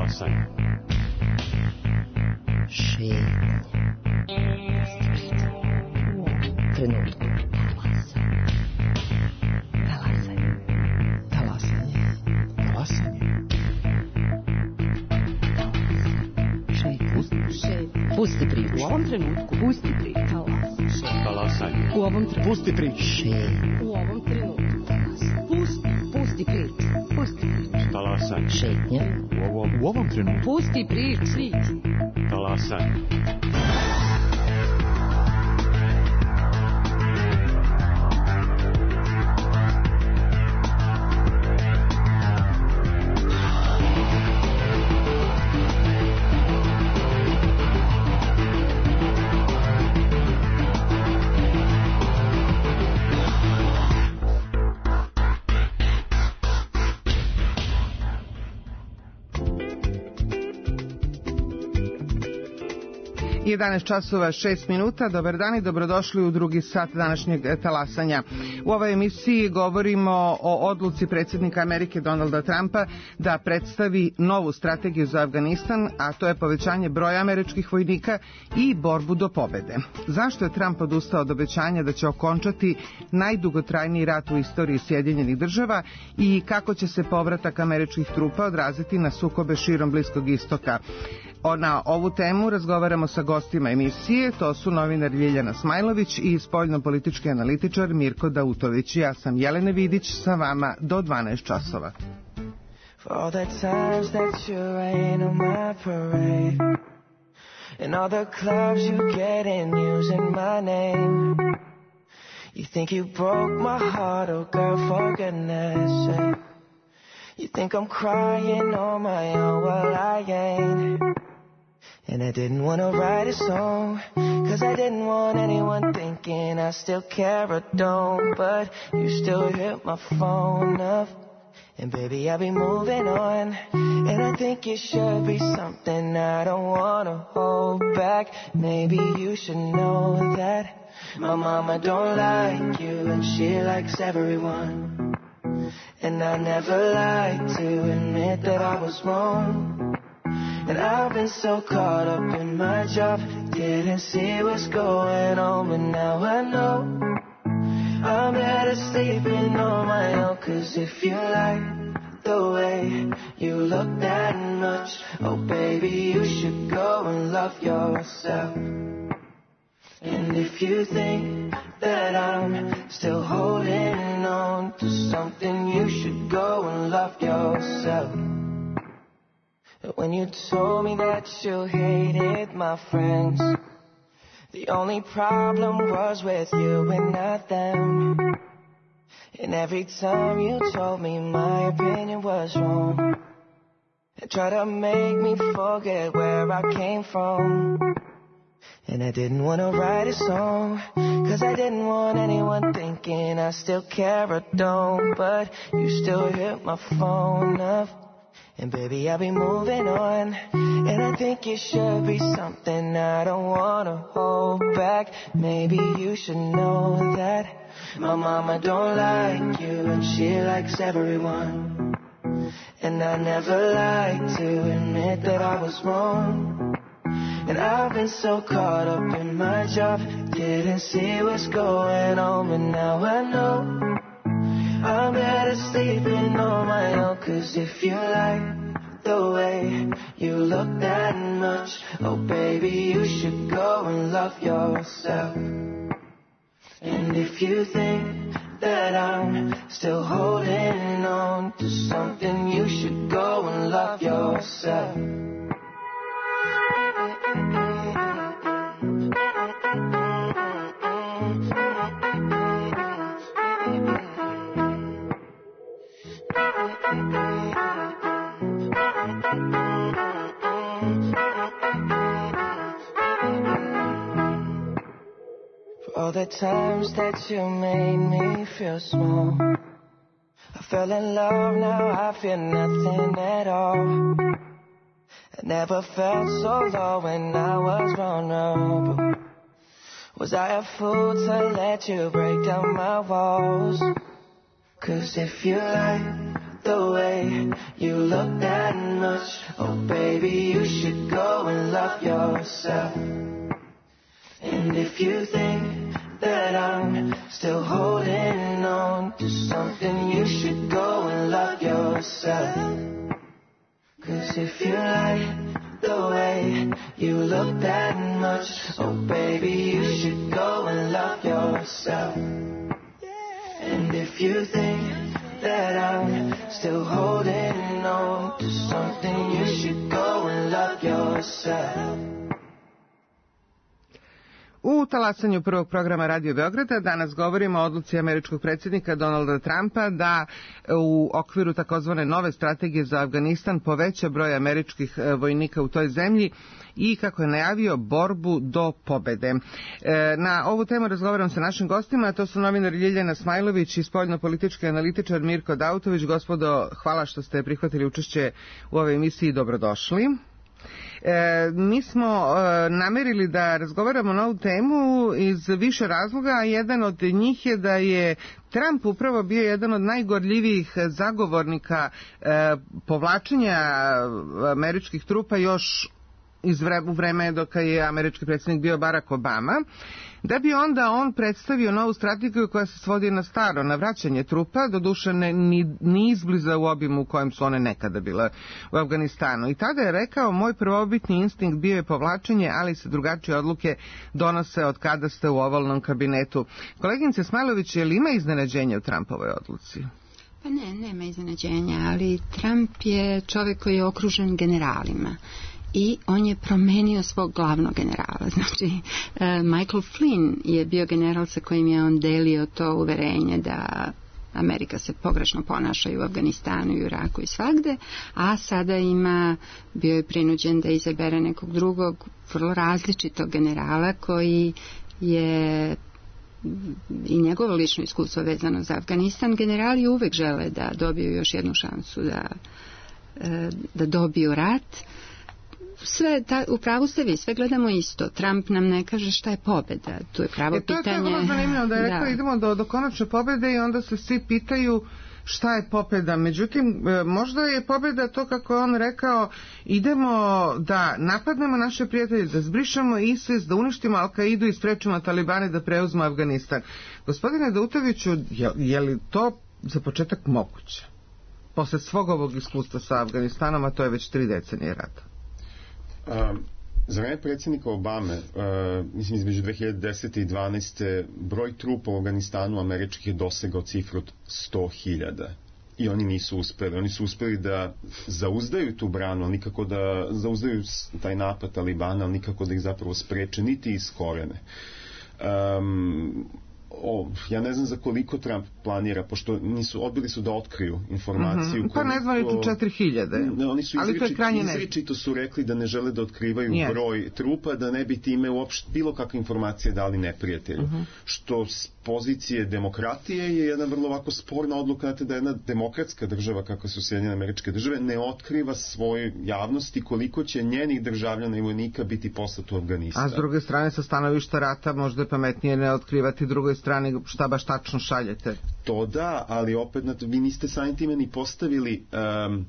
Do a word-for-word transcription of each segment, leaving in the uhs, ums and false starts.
Talasaj. Šetnja. Trenutku. Talasaj. Talasanje. Talasanje. Šetnja. Pusti priču. U ovom trenutku. Pusti priču. Talasanje. U ovom trenutku. Pusti priču. Šetnja. U ovom trenutku. Pusti. Pusti priču. Pusti priču. Talasanje. Šetnja. U ovom, u ovom trenutku. Pusti priču. Talasanje. jedanaest časova šest minuta. Dobar dan i dobrodošli u drugi sat današnjeg talasanja. U ovoj emisiji govorimo o odluci predsjednika Amerike Donalda Trumpa da predstavi novu strategiju za Afganistan, a to je povećanje broja američkih vojnika i borbu do pobede. Zašto je Trump odustao od obećanja da će okončati najdugotrajniji rat u istoriji Sjedinjenih država i kako će se povratak američkih trupa odraziti na sukobe širom Bliskog istoka? Na ovu temu razgovaramo sa gostima emisije, to su novinar Ljiljana Smajlović i spoljno-politički analitičar Mirko Dautović. Ja sam Jelena Vidić, sa vama do dvanaest časova. For all the times that you rain on my parade and all the clubs you get in using my name. You think you broke my heart, oh girl, for goodness sake. You think I'm crying on my own, well I ain't. And I didn't want to write a song, cause I didn't want anyone thinking I still care or don't. But you still hit my phone up, and baby I'll be moving on. And I think it should be something I don't want to hold back. Maybe you should know that my mama don't like you and she likes everyone. And I never like to admit that I was wrong. And I've been so caught up in my job, didn't see what's going on, but now I know I'm better sleeping on my own. Cause if you like the way you look that much, oh baby, you should go and love yourself. And if you think that I'm still holding on to something, you should go and love yourself. When you told me that you hated my friends, the only problem was with you and not them. And every time you told me my opinion was wrong, and tried to make me forget where I came from. And I didn't want to write a song, cause I didn't want anyone thinking I still care or don't. But you still hit my phone up, and baby I'll be moving on. And I think it should be something I don't want to hold back. Maybe you should know that my mama don't like you and she likes everyone. And I never like to admit that I was wrong. And I've been so caught up in my job, didn't see what's going on, but now I know I'm better sleeping on my own. Cause if you like the way you look that much, oh baby, you should go and love yourself. And if you think that I'm still holding on to something, you should go and love yourself. For all the times that you made me feel small, I fell in love, now I feel nothing at all. I never felt so low when I was vulnerable. Was I a fool to let you break down my walls? Cause if you like the way you look that much. Oh baby, you should go and love yourself. And if you think that I'm still holding on to something, you should go and love yourself. 'Cause if you like the way you look that much, oh baby, you should go and love yourself. And if you think that I'm still holding on to something, you should go and love yourself. U talasanju prvog programa Radio Beograda danas govorimo o odluci američkog predsjednika Donalda Trumpa da u okviru takozvane nove strategije za Afganistan poveća broj američkih vojnika u toj zemlji i, kako je najavio, borbu do pobede. Na ovu temu razgovaram sa našim gostima, to su novinar Ljiljana Smajlović i spoljno-politički analitičar Mirko Dautović. Gospodo, hvala što ste prihvatili učešće u ovoj emisiji, dobrodošli. E, mi smo e, namerili da razgovaramo na ovu temu iz više razloga, a jedan od njih je da je Trump upravo bio jedan od najgorljivijih zagovornika e, povlačenja američkih trupa još iz vre, u vreme dok je američki predsjednik bio Barack Obama, da bi onda on predstavio novu strategiju koja se svodi na staro, na vraćanje trupa, doduše ne, ni, ni izbliza u obimu u kojem su one nekada bile u Afganistanu. I tada je rekao, moj prvobitni instinkt bio je povlačenje, ali se drugačije odluke donose od kada ste u ovalnom kabinetu. Koleginice Smajlović, je li ima iznenađenja u Trumpovoj odluci? Pa ne, nema iznenađenja, ali Trump je čovjek koji je okružen generalima. I on je promenio svog glavnog generala. Znači, uh, Michael Flynn je bio general sa kojim je on delio to uverenje da Amerika se pogrešno ponaša i u Afganistanu i u Iraku i svagde, a sada ima, bio je prinuđen da izabere nekog drugog vrlo različitog generala koji je i njegovo lično iskustvo vezano za Afganistan. Generali uvek žele da dobiju još jednu šansu da, da dobiju rat. Sve, ta, u pravu ste vi, sve gledamo isto. Trump nam ne kaže šta je pobjeda. Tu je pravo e, to pitanje. To je vrlo zanimljivo da je rekao da. idemo do, do konačne pobjede i onda se svi pitaju šta je pobjeda. Međutim, možda je pobjeda to, kako je on rekao, idemo da napadnemo naše prijatelje, da zbrišemo ISIS, da uništimo Al-Kaidu i sprečimo Talibane da preuzmu Afganistan. Gospodine Dautoviću, je, je li to za početak moguće? Posle svog ovog iskustva sa Afganistanom, a to je već tri decenije rata. Um, za vreme predsjednika Obame, uh, mislim između dve hiljade desete i dvanaeste broj trupa u Afganistanu američkih je dosegao cifru od sto hiljada. I oni nisu uspeli. Oni su uspeli da zauzdaju tu branu, ali nikako da zauzdaju taj napad Talibana, ali nikako da ih zapravo spreče, niti iskorene. Um, O, ja ne znam za koliko Trump planira, pošto nisu, odbili su da otkriju informaciju. Mm-hmm. Pa ne znam li četiri hiljade, ne, oni su ali to je krajnje ne. Izričito su rekli da ne žele da otkrivaju yes. broj trupa, da ne bi time uopšte bilo kakve informacije dali neprijatelju. Mm-hmm. Što s pozicije demokratije je jedna vrlo ovako sporna odluka, znate, da jedna demokratska država, kako su Sjedinjene Američke Države, ne otkriva svojoj javnosti koliko će njenih državljana i vojnika biti poslato u Afganistan. A s druge strane, sa stanovišta rata, možda je pametnije ne otkrivati drugoj strani šta baš tačno šaljete. To da, ali opet vi niste samim time ni postavili um,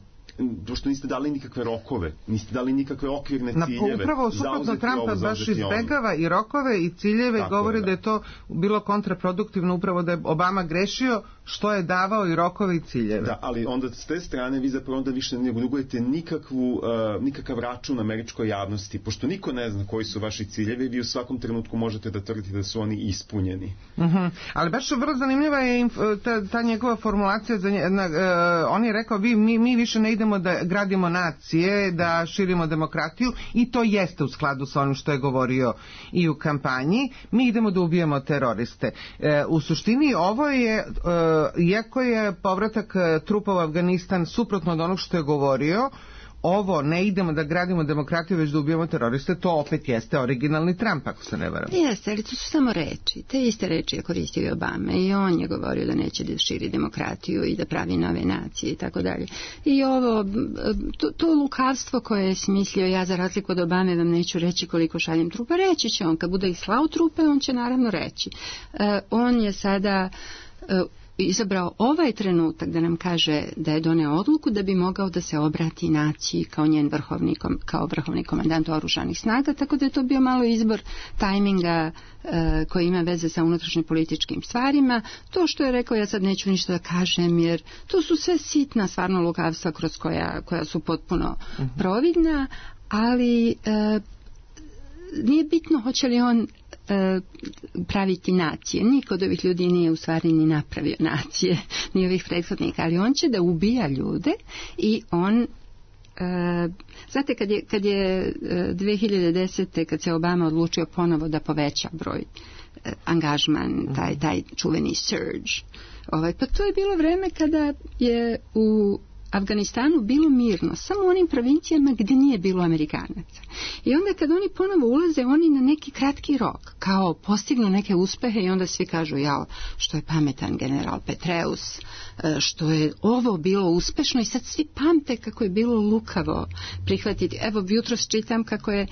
što niste dali nikakve rokove, niste dali nikakve okvirne ciljeve. Na, upravo suprotno, Trumpa baš izbegava i rokove i ciljeve. Tako govori je, da. da je to bilo kontraproduktivno, upravo da je Obama grešio što je davao i rokove i ciljeve. Da, ali onda s te strane vi zapravo onda više ne dugujete nikakvu, uh, nikakav račun američkoj javnosti, pošto niko ne zna koji su vaši ciljevi, vi u svakom trenutku možete da tvrdite da su oni ispunjeni. Uh-huh. Ali baš vrlo zanimljiva je inf- ta, ta njegova formulacija. Za nje, na, uh, on je rekao, vi, mi, mi više ne idemo da gradimo nacije, da širimo demokratiju, i to jeste u skladu sa onim što je govorio i u kampanji. Mi idemo da ubijemo teroriste. E, u suštini ovo je, e, iako je povratak trupa u Afganistan suprotno od onog što je govorio, ovo ne idemo da gradimo demokratiju, već da ubijemo teroriste, to opet jeste originalni Trump, ako se ne varam. Jeste, ali to su samo reči. Te iste reči je koristio i Obama, i on je govorio da neće da širi demokratiju i da pravi nove nacije i tako dalje. I ovo, to, to lukavstvo koje je smislio, ja za razliku od Obame vam neću reći koliko šaljem trupa, reći će on. Kad bude ih slao trupe, on će naravno reći. Uh, on je sada... Uh, izabrao ovaj trenutak da nam kaže da je doneo odluku da bi mogao da se obrati naciji kao njen vrhovni, kao vrhovni komandant oružanih snaga, tako da je to bio malo izbor tajminga e, koji ima veze sa unutrašnjim političkim stvarima. To što je rekao, ja sad neću ništa da kažem, jer to su sve sitna stvarno lukavstva kroz koja, koja su potpuno uh-huh. providna, ali e, nije bitno hoće li on e, praviti nacije. Niko od ovih ljudi nije u stvari ni napravio nacije, ni ovih prethodnika, ali on će da ubija ljude i on e, znate kad je, kad je dve hiljade desete kad se Obama odlučio ponovo da poveća broj e, angažman, taj, taj čuveni surge, ovaj, pa to je bilo vreme kada je u Afganistanu bilo mirno, samo u onim provincijama gdje nije bilo Amerikanaca. I onda kad oni ponovo ulaze, oni na neki kratki rok, kao postignu neke uspehe i onda svi kažu, jao, što je pametan general Petraeus, što je ovo bilo uspešno i sad svi pamte kako je bilo lukavo prihvatiti. Evo, jutros čitam kako je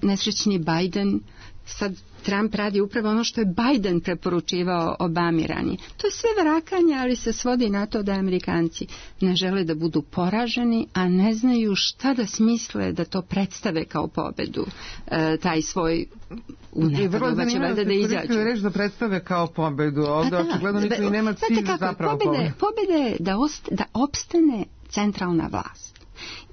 nesrećni Biden, sad Trump radi upravo ono što je Biden preporučivao Obami ranije. To je sve varakanje, ali se svodi na to da Amerikanci ne žele da budu poraženi, a ne znaju šta da smisle da to predstave kao pobedu, e, taj svoj unetano, pa će valjda da izađu. I reći da predstave kao pobedu, ovdje pa očigledno niko i nema cilj zapravo pobede. Pobede je da, ost, da opstane centralna vlast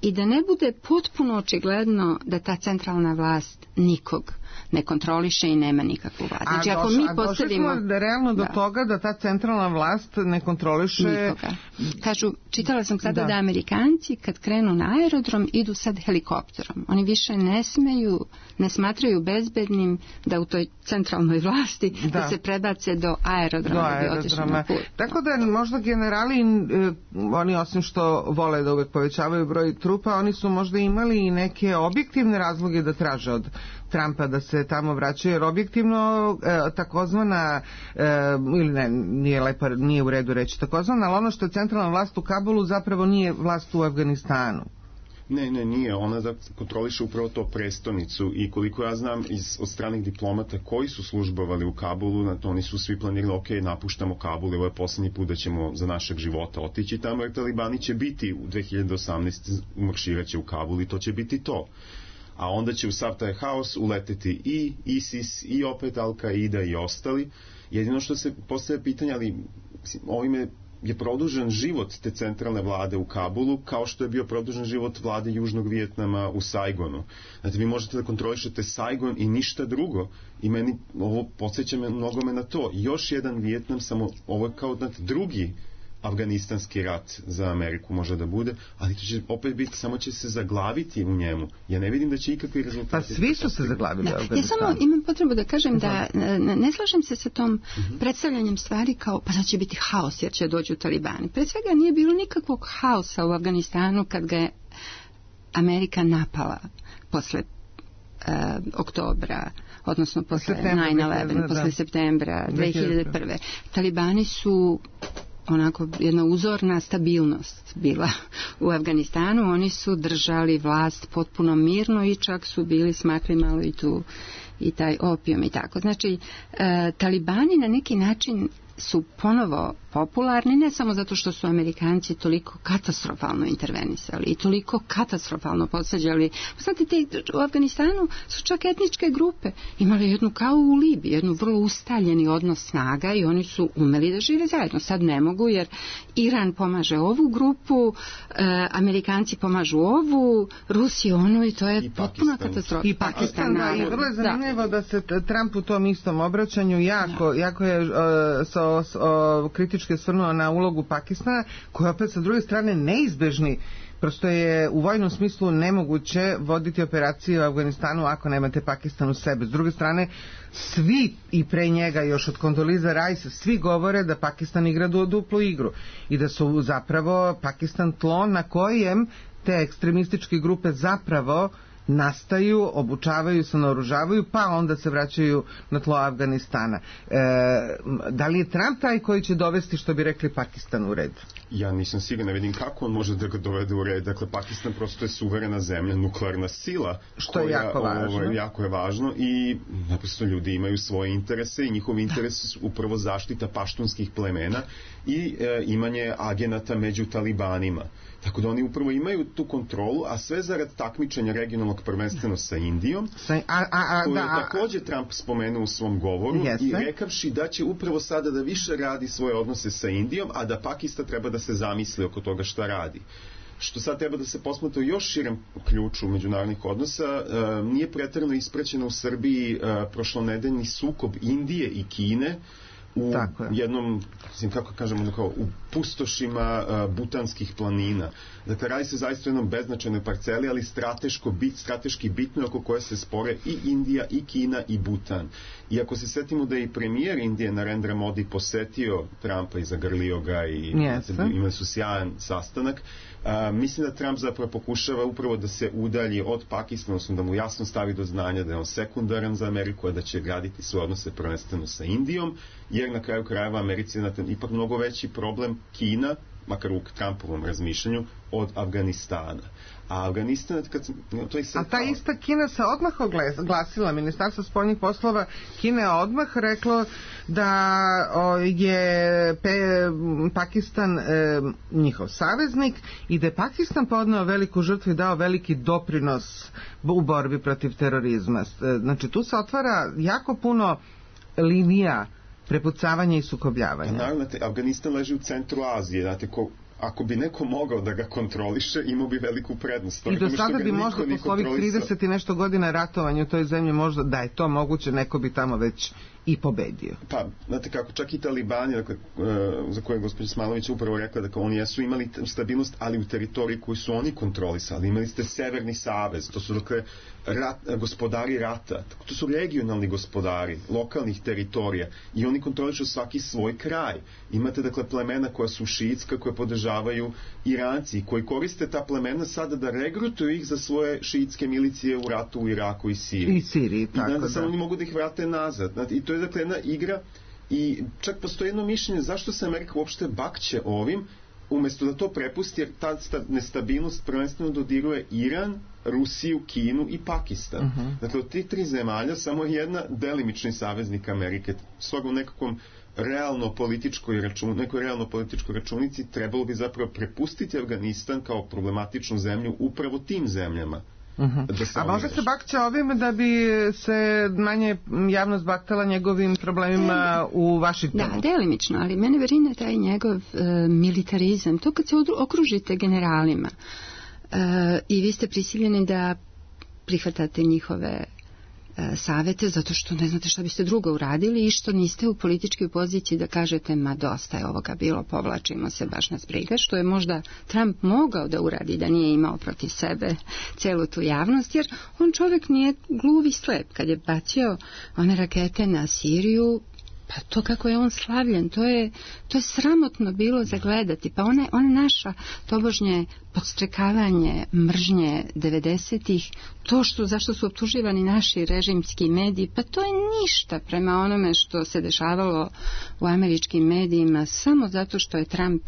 i da ne bude potpuno očigledno da ta centralna vlast nikog ne kontroliše i nema nikakvu vlast. Znači, ako mi postavimo... A došli smo realno do da. toga da ta centralna vlast ne kontroliše... Nikoga. Kažu, čitala sam sada da. da Amerikanci kad krenu na aerodrom idu sad helikopterom. Oni više ne smeju, ne smatraju bezbednim da u toj centralnoj vlasti da, da se prebace do aerodroma. Do aerodroma. Da Tako da možda generali, oni osim što vole da uvek povećavaju broj trupa, oni su možda imali i neke objektivne razloge da traže od Trumpa da se tamo vraćaju, jer objektivno e, takozvana e, ili ne, nije lepa, nije u redu reći takozvana, ali ono što je centralna vlast u Kabulu zapravo nije vlast u Afganistanu. Ne, ne, nije. Ona da kontroliše upravo to prestonicu i koliko ja znam iz, od stranih diplomata koji su službovali u Kabulu, na to oni su svi planirali, ok, napuštamo Kabul, ovo je posljednji put da ćemo za našeg života otići tamo, jer talibani će biti u dve hiljade osamnaeste umarširaće u Kabul i to će biti to. A onda će u sav taj haos uleteti i ISIS i opet Al-Qaida i ostali. Jedino što se postavlja pitanje, ali ovime je produžen život te centralne vlade u Kabulu, kao što je bio produžen život vlade Južnog Vijetnama u Saigonu. Znači, vi možete da kontrolišete Saigon i ništa drugo. I meni ovo podsjeća me mnogome na to. Još jedan Vijetnam, samo ovo je kao znate, drugi afganistanski rat za Ameriku može da bude, ali to će opet biti, samo će se zaglaviti u njemu. Ja ne vidim da će ikakvi rezultati... Pa svi su se zaglavili u Afganistanu. Ja samo imam potrebu da kažem da ne, ne slažem se sa tom uh-huh. predstavljanjem stvari kao, pa sad će biti haos jer će dođu talibani. Pred svega nije bilo nikakvog haosa u Afganistanu kad ga je Amerika napala posle uh, oktobra, odnosno posle nine eleven, posle septembra dve hiljade prve. Talibani su onako jedna uzorna stabilnost bila u Afganistanu. Oni su držali vlast potpuno mirno i čak su bili smakli malo i tu i taj opijum i tako. Znači, e, talibani na neki način su ponovo popularni, ne samo zato što su Amerikanci toliko katastrofalno intervenisali i toliko katastrofalno posađali. Znate, te, u Afganistanu su čak etničke grupe imali jednu kao u Libiji, jednu vrlo ustaljeni odnos snaga i oni su umeli da žive zajedno. Sad ne mogu jer Iran pomaže ovu grupu, e, Amerikanci pomažu ovu, Rusi onu i to je I potpuna katastrofa. I Pakistan, da, i vrlo je zanimljivo da. da se Trump u tom istom obraćanju jako, da. jako je uh, sa O, o, kritički svrnuo na ulogu Pakistana, koja opet sa druge strane neizbežni. Prosto je u vojnom smislu nemoguće voditi operacije u Afganistanu ako nemate Pakistan u sebe. S druge strane, svi i pre njega, još od Condoleezza Rice, svi govore da Pakistan igra duplu igru i da su zapravo Pakistan tlo na kojem te ekstremističke grupe zapravo nastaju, obučavaju se, naoružavaju, pa onda se vraćaju na tlo Afganistana. E, da li je Trump taj koji će dovesti, što bi rekli, Pakistan u red? Ja nisam siguran, ne vidim kako on može da ga dovede u red. Dakle, Pakistan prosto je suverena zemlja, nuklearna sila. Što je jako važno. Ovo, jako je važno i naprosto ljudi imaju svoje interese i njihovi interesi su upravo zaštita paštunskih plemena i e, imanje agenata među talibanima. Tako da oni upravo imaju tu kontrolu, a sve zarad takmičenja regionalnog prvenstveno sa Indijom, Sa, a, a, a, koju da, je a, takođe Trump spomenuo u svom govoru Jeste. i rekavši da će upravo sada da više radi svoje odnose sa Indijom, a da Pakistan treba da se zamisli oko toga šta radi. Što sad treba da se posmatra u još širem ključu međunarodnih odnosa, e, nije preterano ispraćeno u Srbiji e, prošlonedeljni sukob Indije i Kine u jednom, mislim, kako kažemo, kao u pustošima uh, butanskih planina. Dakle, radi se zaista o jednom beznačajnoj parceli, ali strateško bit, strateški bitno oko koje se spore i Indija, i Kina, i Butan. I ako se setimo da je i premijer Indije Narendra Modi posetio Trumpa i zagrlio ga i yes. imali su sjajan sastanak, uh, mislim da Trump zapravo pokušava upravo da se udalji od Pakistana, odnosno da mu jasno stavi do znanja da je on sekundaran za Ameriku, a da će graditi svoje odnose prvenstveno sa Indijom, jer na kraju krajeva Americi je ipak mnogo veći problem Kina, makar u Trumpovom razmišljanju, od Afganistana. A Afganistan, kad sam, to je sad... A ta ista Kina se odmah oglasila, Ministarstvo spoljnih poslova Kine je odmah reklo da o, je pe, Pakistan e, njihov saveznik i da je Pakistan podneo veliku žrtvu i dao veliki doprinos u borbi protiv terorizma. Znači, tu se otvara jako puno linija prepucavanja i sukobljavanja. Naravno, Afganistan leži u centru Azije, znate, ko, ako bi neko mogao da ga kontroliše, imao bi veliku prednost. I do sada bi možda posle ovih trideset i nešto godina ratovanja u toj zemlji, možda da je to moguće, neko bi tamo već i pobedio. Pa, znate kako, čak i talibani, dakle, za koje je gospođa Smailović upravo rekla, dakle, oni jesu imali stabilnost, ali u teritoriji koju su oni kontrolisali. Imali ste Severni savez, to su, dakle, rat, gospodari rata, to su regionalni gospodari lokalnih teritorija i oni kontrolišu svaki svoj kraj. Imate, dakle, plemena koja su šiitska, koje podržavaju Iranci, koji koriste ta plemena sada da regrutuju ih za svoje šiitske milicije u ratu u Iraku i Siriji. I Siriji, tako I da. da. Samo oni mogu da ih vrate nazad. Znate, i to je, dakle, jedna igra i čak postoji jedno mišljenje zašto se Amerika uopšte bakće ovim, umesto da to prepusti, jer ta nestabilnost prvenstveno dodiruje Iran, Rusiju, Kinu i Pakistan. Uh-huh. Dakle, od tih tri zemalja samo jedna delimični saveznik Amerike. Stoga u nekakvom realno političkoj račun, nekoj realno političkoj računici trebalo bi zapravo prepustiti Afganistan kao problematičnu zemlju upravo tim zemljama. Uh-huh. A možda se bakće ovim da bi se manje javnost baktala njegovim problemima u Vašingtonu? Da, delimično, ali mene verine taj njegov e, militarizam, to kad se okružite generalima e, i vi ste prisiljeni da prihvatate njihove savete, zato što ne znate šta biste drugo uradili i što niste u političkoj poziciji da kažete ma dosta je ovoga bilo, povlačimo se, baš nas briga, što je možda Trump mogao da uradi da nije imao protiv sebe celu tu javnost, jer on čovjek nije gluv i slep. Kad je bacio one rakete na Siriju, pa to kako je on slavljen, to je, to je sramotno bilo za gledati. Pa ona, ona naša tobožnje podstrekavanje mržnje devedesetih, to što, zašto su optuživani naši režimski mediji, pa to je ništa prema onome što se dešavalo u američkim medijima, samo zato što je Trump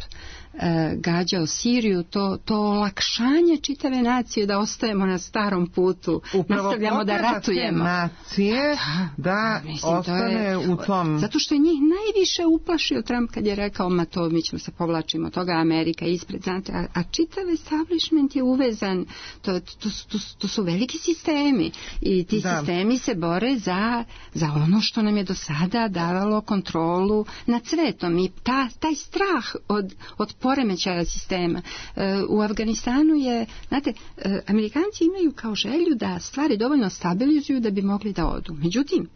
e, gađao Siriju, to, to olakšanje čitave nacije da ostajemo na starom putu, upravo nastavljamo da ratujemo. Nacije da, da mislim, ostane je, u tom... Zato što je njih najviše uplašio Trump kad je rekao, ma to mi ćemo se povlačimo, toga Amerika ispred, znate, a, a čitav establishment je uvezan, to, to, to, to, to su veliki sistemi i ti da. sistemi se bore za, za ono što nam je do sada davalo kontrolu nad svetom i ta, taj strah od, od poremećaja sistema. E, u Afganistanu je, znate, e, Amerikanci imaju kao želju da stvari dovoljno stabilizuju da bi mogli da odu. Međutim,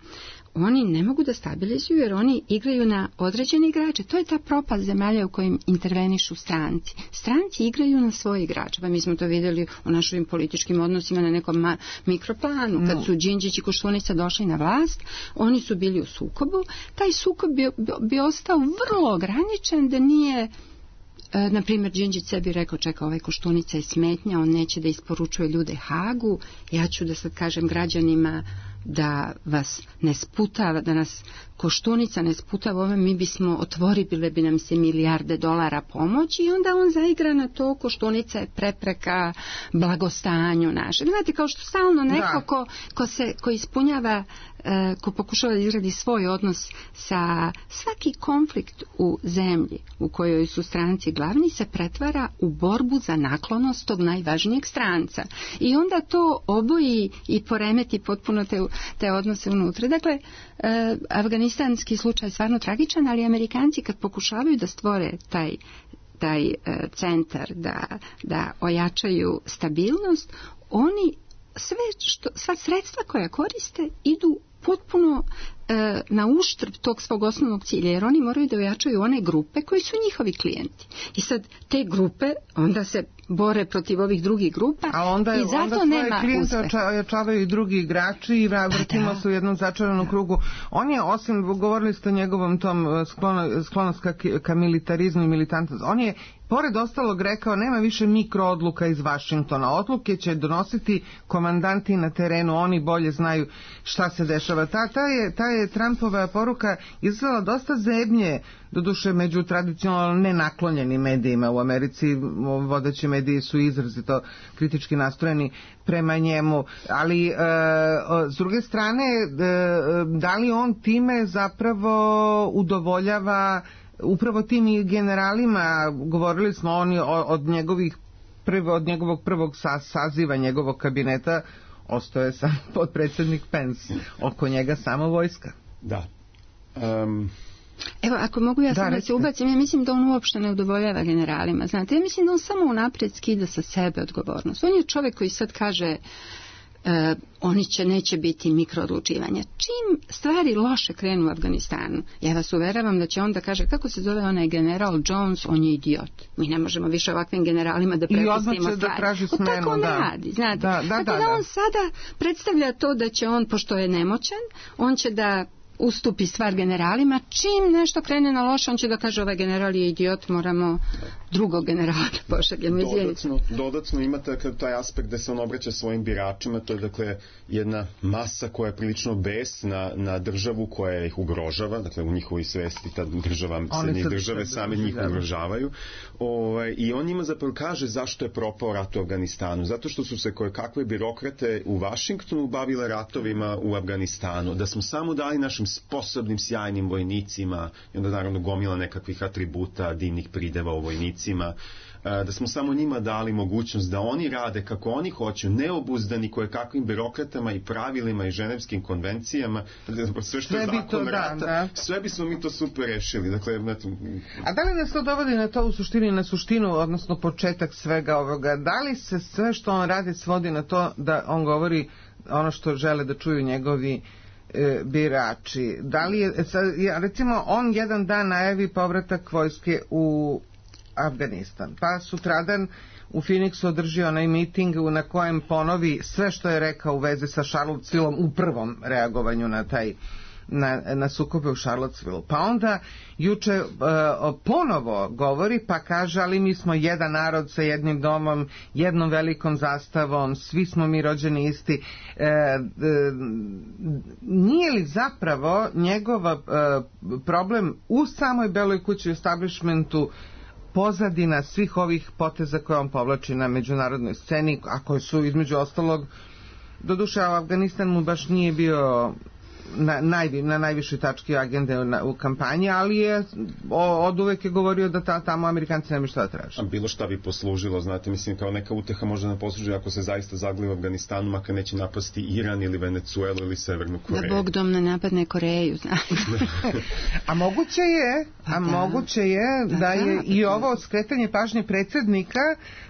oni ne mogu da stabilizuju jer oni igraju na određene igrače. To je ta propast zemalja u kojim intervenišu stranci. Stranci igraju na svoje igrače. Pa mi smo to vidjeli u našim političkim odnosima na nekom ma- mikroplanu. Kad no. su Đinđić i Koštunica došli na vlast, oni su bili u sukobu. Taj sukob bi, bi ostao vrlo ograničen da nije E, na primjer, Đinđić sebi rekao, čeka, ovaj Koštunica je smetnja, on neće da isporučuje ljude Hagu, ja ću da sad kažem građanima da vas ne sputava, da nas Koštunica ne sputava ove, mi bismo otvorili, bile bi nam se milijarde dolara pomoći i onda on zaigra na to, Koštunica je prepreka blagostanju našeg. Znate, kao što stalno neko ko, ko, se, ko ispunjava, uh, ko pokušava da izradi svoj odnos sa svaki konflikt u zemlji u kojoj su stranci glavni se pretvara u borbu za naklonost tog najvažnijeg stranca. I onda to oboji i poremeti potpuno te, te odnose unutra. Dakle, uh, afganistanski slučaj je stvarno tragičan, ali Amerikanci kad pokušavaju da stvore taj taj uh, centar, da, da ojačaju stabilnost, oni sve što, sva sredstva koja koriste idu potpuno e, na uštrb tog svog osnovnog cilja, jer oni moraju da ojačaju one grupe koji su njihovi klijenti. I sad te grupe onda se bore protiv ovih drugih grupa a onda, i zato onda svoje nema klijente uspeha. ojačavaju i drugi igrači i vrtimo pa da. se u jednom začaranom krugu. On je, osim, govorili ste o njegovom tom sklono, sklonost ka, ka militarizmu i militantnosti, on je pored ostalog rekao, nema više mikroodluka iz Vašingtona. Odluke će donositi komandanti na terenu, oni bolje znaju šta se dešava. Ta, ta, je, ta je Trumpova poruka izazvala dosta zebnje, doduše među tradicionalno nenaklonjenim medijima u Americi. Vodeći mediji su izrazito kritički nastrojeni prema njemu. Ali, e, s druge strane, e, da li on time zapravo udovoljava upravo tim generalima? Govorili smo oni od njegovih prvo, od njegovog prvog saziva njegovog kabineta ostao je sam potpredsjednik Pence, oko njega samo vojska. Da. Um... Evo, ako mogu ja sam da, da se ubacim, ja mislim da on uopšte ne udovoljava generalima. Znate, ja mislim da on samo unaprijed skida sa sebe odgovornost. On je čovjek koji sad kaže Uh, oni će, neće biti mikroodlučivanja. Čim stvari loše krenu u Afganistanu, ja vas uveravam da će on da kaže, kako se zove onaj general Jones, on je idiot. Mi ne možemo više ovakvim generalima da prepustimo stvari. Da traži smenu, o, tako da. ne radi, znate. Da, da, tako da, da, da da on sada predstavlja to da će on, pošto je nemoćan, on će da ustupi stvar generalima, čim nešto krene na loše, on će da kaže ovaj general je idiot, moramo drugog generala da pošaljemo. Dodatno, dodatno imate taj aspekt da se on obraća svojim biračima, to je dakle jedna masa koja je prilično besna na državu koja ih ugrožava, dakle u njihovoj svesti ta država, srednje države same njih ugrožavaju. Ovaj, i on njima zapravo kaže zašto je propao rat u Afganistanu, zato što su se koje kakve birokrate u Vašingtonu bavile ratovima u Afganistanu, da smo samo dali našim sposobnim, sjajnim vojnicima, i onda naravno gomila nekakvih atributa, divnih prideva u vojnicima, da smo samo njima dali mogućnost da oni rade kako oni hoće, neobuzdani koje kakvim birokratama i pravilima i ženevskim konvencijama, sve što je zakon rata, da. Sve bismo mi to super rešili. Dakle, eto... A da li nas to dovodi na to u suštini, na suštinu, odnosno početak svega ovoga? Da li se sve što on radi svodi na to da on govori ono što žele da čuju njegovi birači? Da li je, recimo, on jedan dan najavi povratak vojske u Afganistan, pa sutradan u Phoenixu održi onaj miting na kojem ponovi sve što je rekao u vezi sa Charlottesvilleom u prvom reagovanju na taj na, na sukobe u Charlottesville. Pa onda juče uh, ponovo govori pa kaže, ali mi smo jedan narod sa jednim domom, jednom velikom zastavom, svi smo mi rođeni isti. Uh, uh, nije li zapravo njegov uh, problem u samoj Beloj kući, u establishmentu, pozadina svih ovih poteza koje on povlači na međunarodnoj sceni, a koje su između ostalog, doduše u Afganistan mu baš nije bio na, naj, na najvišoj tački agende na, u kampanji, ali je o, od uvek je govorio da ta, tamo Amerikanci nema šta da traže. A bilo šta bi poslužilo, znate, mislim, kao neka uteha može da posluži ako se zaista zagli u Afganistanu, makar neće napasti Iran ili Venecuelu ili Severnu Koreju. Da Bog dom ne napadne Koreju, znate. A moguće je, a da. moguće je da, da je da, i ovo skretanje pažnje predsjednika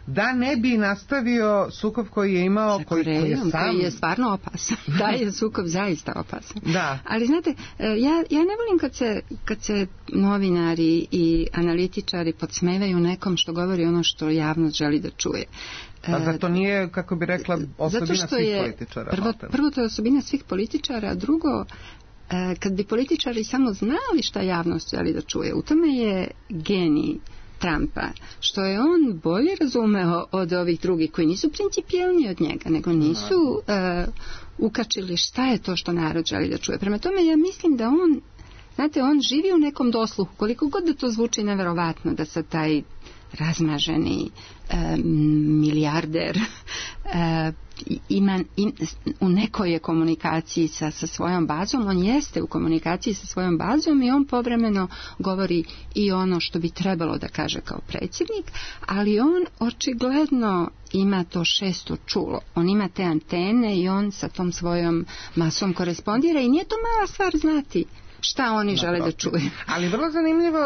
da ne bi nastavio sukob koji je imao, koji, koji je sam... koji je stvarno opasan. Da je sukob zaista opasan. Da. Ali znate, ja, ja ne volim kad se, kad se novinari i analitičari podsmevaju nekom što govori ono što javnost želi da čuje. Pa da to nije, kako bi rekla, osobina svih je, političara. Prvo, prvo to je osobina svih političara, a drugo, kad bi političari samo znali šta javnost želi da čuje, u tome je genij Trumpa, što je on bolje razumeo od ovih drugih koji nisu principijelni od njega, nego nisu uh, ukačili šta je to što narod želi da čuje. Prema tome ja mislim da on, znate, on živi u nekom dosluhu, koliko god da to zvuči neverovatno, da sa taj razmaženi e, milijarder e, ima, im, u nekoj je komunikaciji sa, sa svojom bazom, on jeste u komunikaciji sa svojom bazom i on povremeno govori i ono što bi trebalo da kaže kao predsjednik, ali on očigledno ima to šesto čulo, on ima te antene i on sa tom svojom masom korespondira i nije to mala stvar znati šta oni žele da čuju. Ali vrlo zanimljivo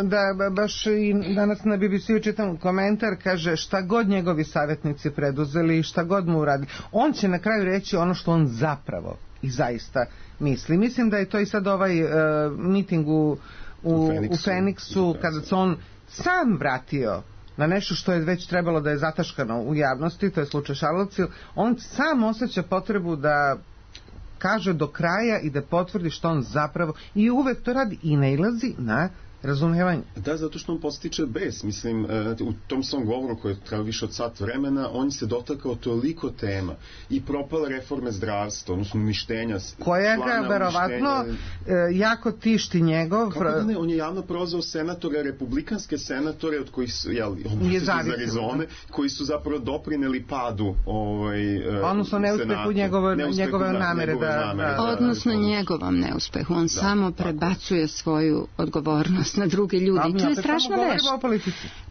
da baš i danas na B B C-u čitam komentar, kaže šta god njegovi savjetnici preduzeli, šta god mu uradi, on će na kraju reći ono što on zapravo i zaista misli. Mislim da je to i sad ovaj uh, miting u, u, u Feniksu, u Feniksu kada se on sam vratio na nešto što je već trebalo da je zataškano u javnosti, to je slučaj Charlottesville, on sam osjeća potrebu da kaže do kraja i da potvrdi što on zapravo i uvek to radi i nailazi na razumijevanje. Da, zato što on postiče bes. Mislim, u tom svom govoru koji je trajao više od sat vremena, on se dotakao toliko tema i propale reforme zdravstva, odnosno uništenja. Koja ga verovatno jako tišti njegov. Kako da ne, on je javno prozvao senatore, republikanske senatore od kojih su, jel, iz Arizone, koji su zapravo doprineli padu ovaj, odnosno neuspehu njegove, njegove namere. Da, da, da, odnosno njegovom neuspehu. On da, samo prebacuje svoju odgovornost na druge ljudi. I to je strašno vešt.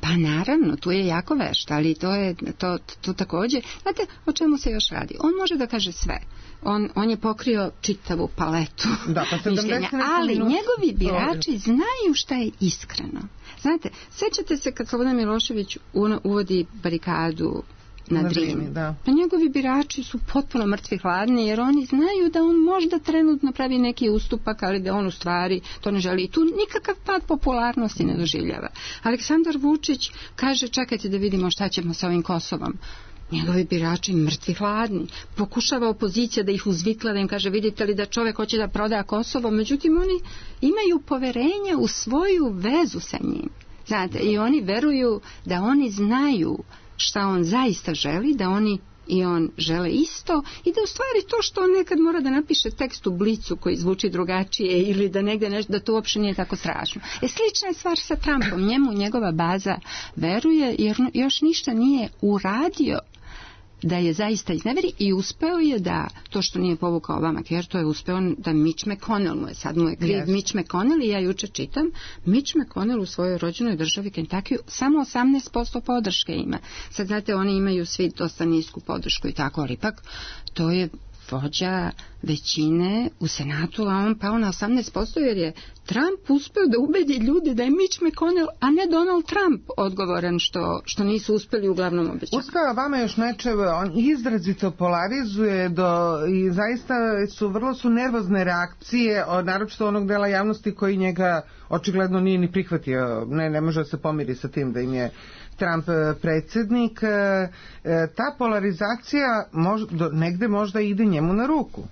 Pa naravno, tu je jako vešt, ali to je to, to također. Znate, o čemu se još radi? On može da kaže sve. On, on je pokrio čitavu paletu da, pa mišljenja, ali minut... njegovi birači znaju šta je iskreno. Znate, sećate se kad Slobodan Milošević uvodi barikadu na, na Drini. Da. Pa njegovi birači su potpuno mrtvi hladni jer oni znaju da on možda trenutno pravi neki ustupak, ali da on u stvari to ne želi. I tu nikakav pad popularnosti ne doživljava. Aleksandar Vučić kaže čekajte da vidimo šta ćemo sa ovim Kosovom. Njegovi birači mrtvi hladni. Pokušava opozicija da ih uzvikla, da im kaže vidite li da čovjek hoće da proda Kosovo, međutim oni imaju poverenja u svoju vezu sa njim. Znate, i oni veruju da oni znaju šta on zaista želi, da oni i on žele isto i da u stvari to što on nekad mora da napiše tekst u Blicu koji zvuči drugačije ili da negde nešto, da to uopšte nije tako strašno. E, slična je stvar sa Trumpom. Njemu njegova baza veruje jer još ništa nije uradio da je zaista izneveri i uspeo je da, to što nije povukao Obamacare, to je uspeo da Mitch McConnell mu je, sad mu je kriv yes. Mitch McConnell i ja juče čitam, Mitch McConnell u svojoj rođenoj državi Kentucky samo osamnaest posto podrške ima. Sad znate, oni imaju svi dosta nisku podršku i tako, ali ipak to je vođa većine u Senatu, a on pao na osamnaest posto jer je Trump uspeo da ubedi ljude da je Mitch McConnell, a ne Donald Trump odgovoran što, što nisu uspeli uglavnom obećati. Uspeo vama još nečeve, on izrazito polarizuje do, i zaista su vrlo su nervozne reakcije, naročito onog dela javnosti koji njega očigledno nije ni prihvatio, ne, ne može da se pomiri sa tim da im je Trump predsjednik. Ta polarizacija možda, negde možda ide njemu na ruku.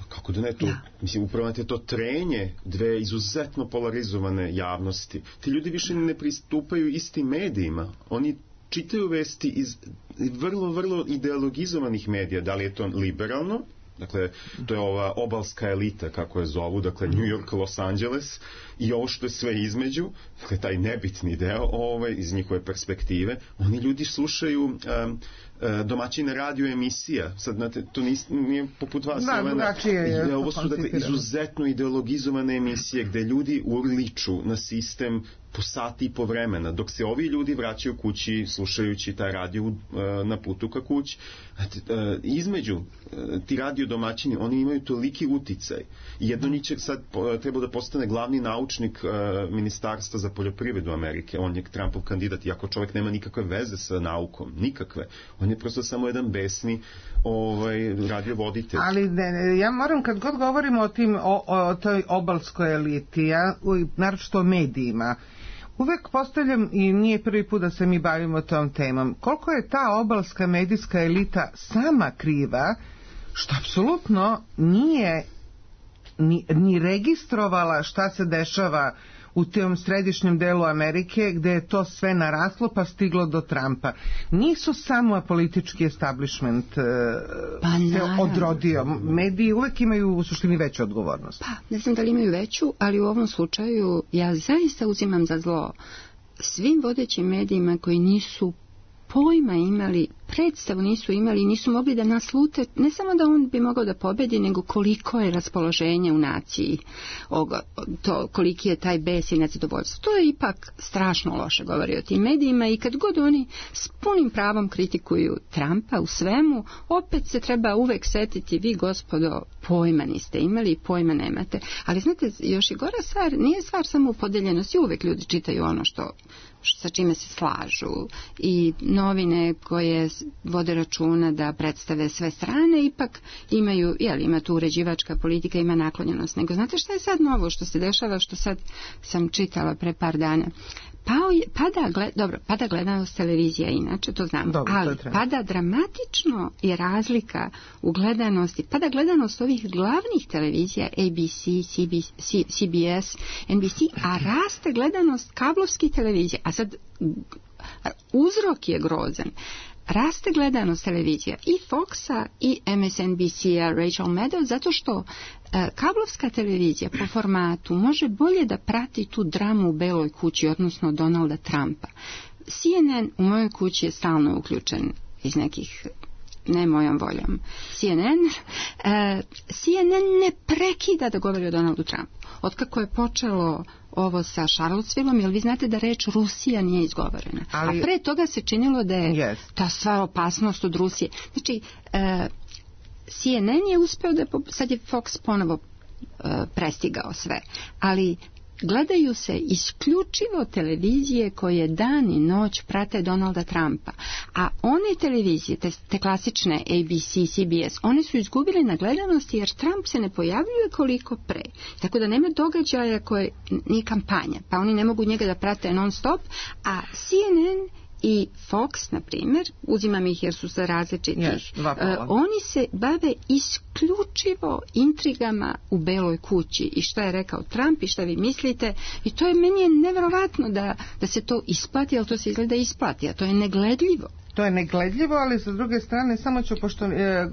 Kako da ne, to, ja. mislim, upravo je to trenje dve izuzetno polarizovane javnosti. Ti ljudi više ne pristupaju istim medijima. Oni čitaju vesti iz vrlo, vrlo ideologizovanih medija. Da li je to liberalno? Dakle, to je ova obalska elita, kako je zovu, dakle, New York, Los Angeles i ovo što je sve između, dakle, taj nebitni deo ovaj, iz njihove perspektive. Oni ljudi slušaju um, uh, domaćine radio emisija. Sad, znate, to nis, nije poput vas. Da, drugačije. Ovo su, dakle, izuzetno ideologizovane emisije gde ljudi urliču na sistem po sati i po vremena, dok se ovi ljudi vraćaju kući slušajući taj radio uh, na putu ka kući. Znate, uh, između uh, ti radio domaćini, oni imaju toliki uticaj. Jedno njih će sad uh, treba da postane glavni naučnik uh, Ministarstva za poljoprivredu Amerike. On je Trumpov kandidat, iako čovjek nema nikakve veze sa naukom, nikakve. On je prosto samo jedan besni ovaj, radiovoditelj. Ali ne, ja moram, kad god govorimo o, tim, o, o toj obalskoj eliti, ja, naročito o medijima, uvek postavljam, i nije prvi put da se mi bavimo tom temom, koliko je ta obalska medijska elita sama kriva, što apsolutno nije ni, ni registrovala šta se dešava u tom središnjem delu Amerike gde je to sve naraslo pa stiglo do Trumpa. Nisu samo politički establishment pa, se odrodio. Mediji uvek imaju u suštini veću odgovornost. Pa, ne znam da li imaju veću, ali u ovom slučaju ja zaista uzimam za zlo svim vodećim medijima koji nisu pojma imali, predstavu nisu imali i nisu mogli da naslute, ne samo da on bi mogao da pobedi, nego koliko je raspoloženje u naciji, oga, to, koliki je taj bes i nezadovoljstvo. To je ipak strašno loše govori o tim medijima i kad god oni s punim pravom kritikuju Trumpa u svemu, opet se treba uvek setiti, vi gospodo pojma niste imali i pojma nemate. Ali znate, još i gora stvar, nije stvar samo u podeljenosti, uvek ljudi čitaju ono što sa čime se slažu i novine koje vode računa da predstave sve strane ipak imaju, jel, ima tu uređivačka politika, ima naklonjenost. Nego znate šta je sad novo što se dešava, što sad sam čitala pre par dana? Pao je, pada, gled, dobro, pada gledanost televizija inače, to znamo, dobro, ali to pada dramatično je razlika u gledanosti, pada gledanost ovih glavnih televizija, A B C, C B S, N B C, a raste gledanost kablovskih televizija, a sad uzrok je grozan. Raste gledanost televizija i Foxa i M S N B C-a Rachel Maddow zato što e, kablovska televizija po formatu može bolje da prati tu dramu u Beloj kući, odnosno Donalda Trumpa. C N N u mojoj kući je stalno uključen iz nekih, ne mojom voljom. C N N, e, C N N ne prekida da govori o Donaldu Trumpu. Otkako je počelo ovo sa Charlottesvilleom, jer vi znate da reč Rusija nije izgovorena. Ali, a pre toga se činilo da je yes. ta sva opasnost od Rusije. Znači, e, C N N je uspeo da je, sad je Fox ponovo e, prestigao sve, ali gledaju se isključivo televizije koje dan i noć prate Donalda Trumpa. A one televizije, te, te klasične A B C, C B S, one su izgubile na gledanosti jer Trump se ne pojavljuje koliko pre. Tako da nema događaja koje ni kampanja, pa oni ne mogu njega da prate non stop, a C N N i Fox, na primjer, uzimam ih jer su sa različitih, yes, uh, oni se bave isključivo intrigama u Beloj kući i šta je rekao Trump i šta vi mislite, i to je, meni je nevjerovatno da, da se to isplati, ali to se izgleda isplati, a to je negledljivo. To je negledljivo, ali sa druge strane, samo ću, pošto e,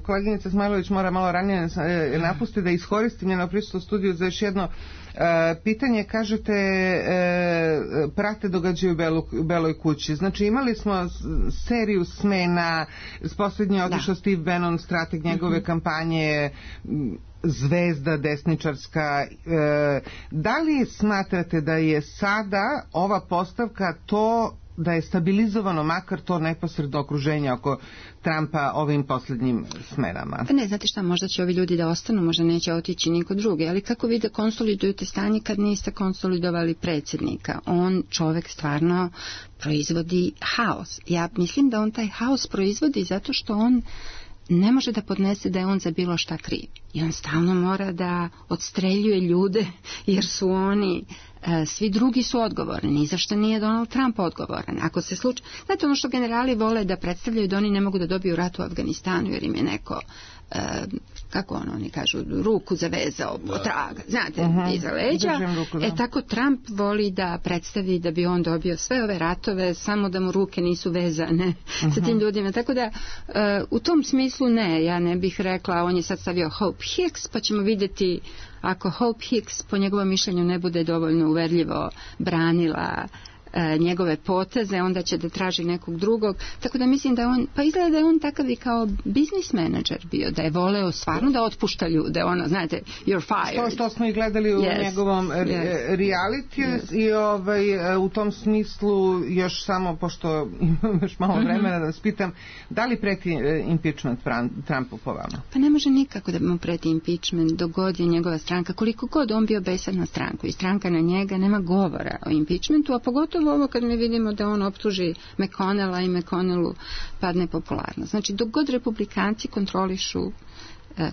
koleginica Smajlović mora malo ranije e, napusti, da iskoristim njeno prisustvo u studiju za još jedno e, pitanje. Kažete, e, prate događaju u Belu, Beloj kući. Znači, imali smo seriju smena, s posljednje otišao Steve Bannon, strateg njegove mm-hmm. kampanje, zvezda desničarska. E, da li smatrate da je sada ova postavka to da je stabilizovano makar to neposredno okruženje oko Trumpa ovim posljednjim smerama? Pa ne, znate šta, možda će ovi ljudi da ostanu, možda neće otići niko drugi, ali kako vi da konsolidujete stanje kad niste konsolidovali predsjednika? On, čovjek, stvarno proizvodi haos. Ja mislim da on taj haos proizvodi zato što on ne može da podnese da je on za bilo šta kriv. I on stalno mora da odstreljuje ljude jer su oni, e, svi drugi su odgovorni. Ni zašto nije Donald Trump odgovoran. Ako se slučaj, znate, ono što generali vole da predstavljaju da oni ne mogu da dobiju rat u Afganistanu jer im je neko, e, kako ono, oni kažu, ruku zavezao potraga, znate, uh-huh. iza leđa. Ruku, e tako Trump voli da predstavi da bi on dobio sve ove ratove samo da mu ruke nisu vezane uh-huh. sa tim ljudima. Tako da e, u tom smislu ne, ja ne bih rekla, on je sad stavio Hope Hicks, pa ćemo vidjeti ako Hope Hicks po njegovom mišljenju ne bude dovoljno uverljivo branila e, njegove poteze, onda će da traži nekog drugog. Tako da mislim da on, pa izgleda da je on takav i kao business manager bio, da je voleo stvarno da otpušta ljude, ono, znate, you're fired. To što smo i gledali u yes. njegovom yes. reality yes. i ovaj, u tom smislu još samo, pošto imam još malo mm-hmm. vremena da vas pitam, da li preti impeachment Trumpu po vama? Pa ne može nikako da mu preti impeachment dok god je njegova stranka, koliko god on bio besan na stranku i stranka na njega, nema govora o impeachmentu, a pogotovo ovo kad mi vidimo da on optuži McConnella i McConnellu padne popularnost. Znači, dok god republikanci kontrolišu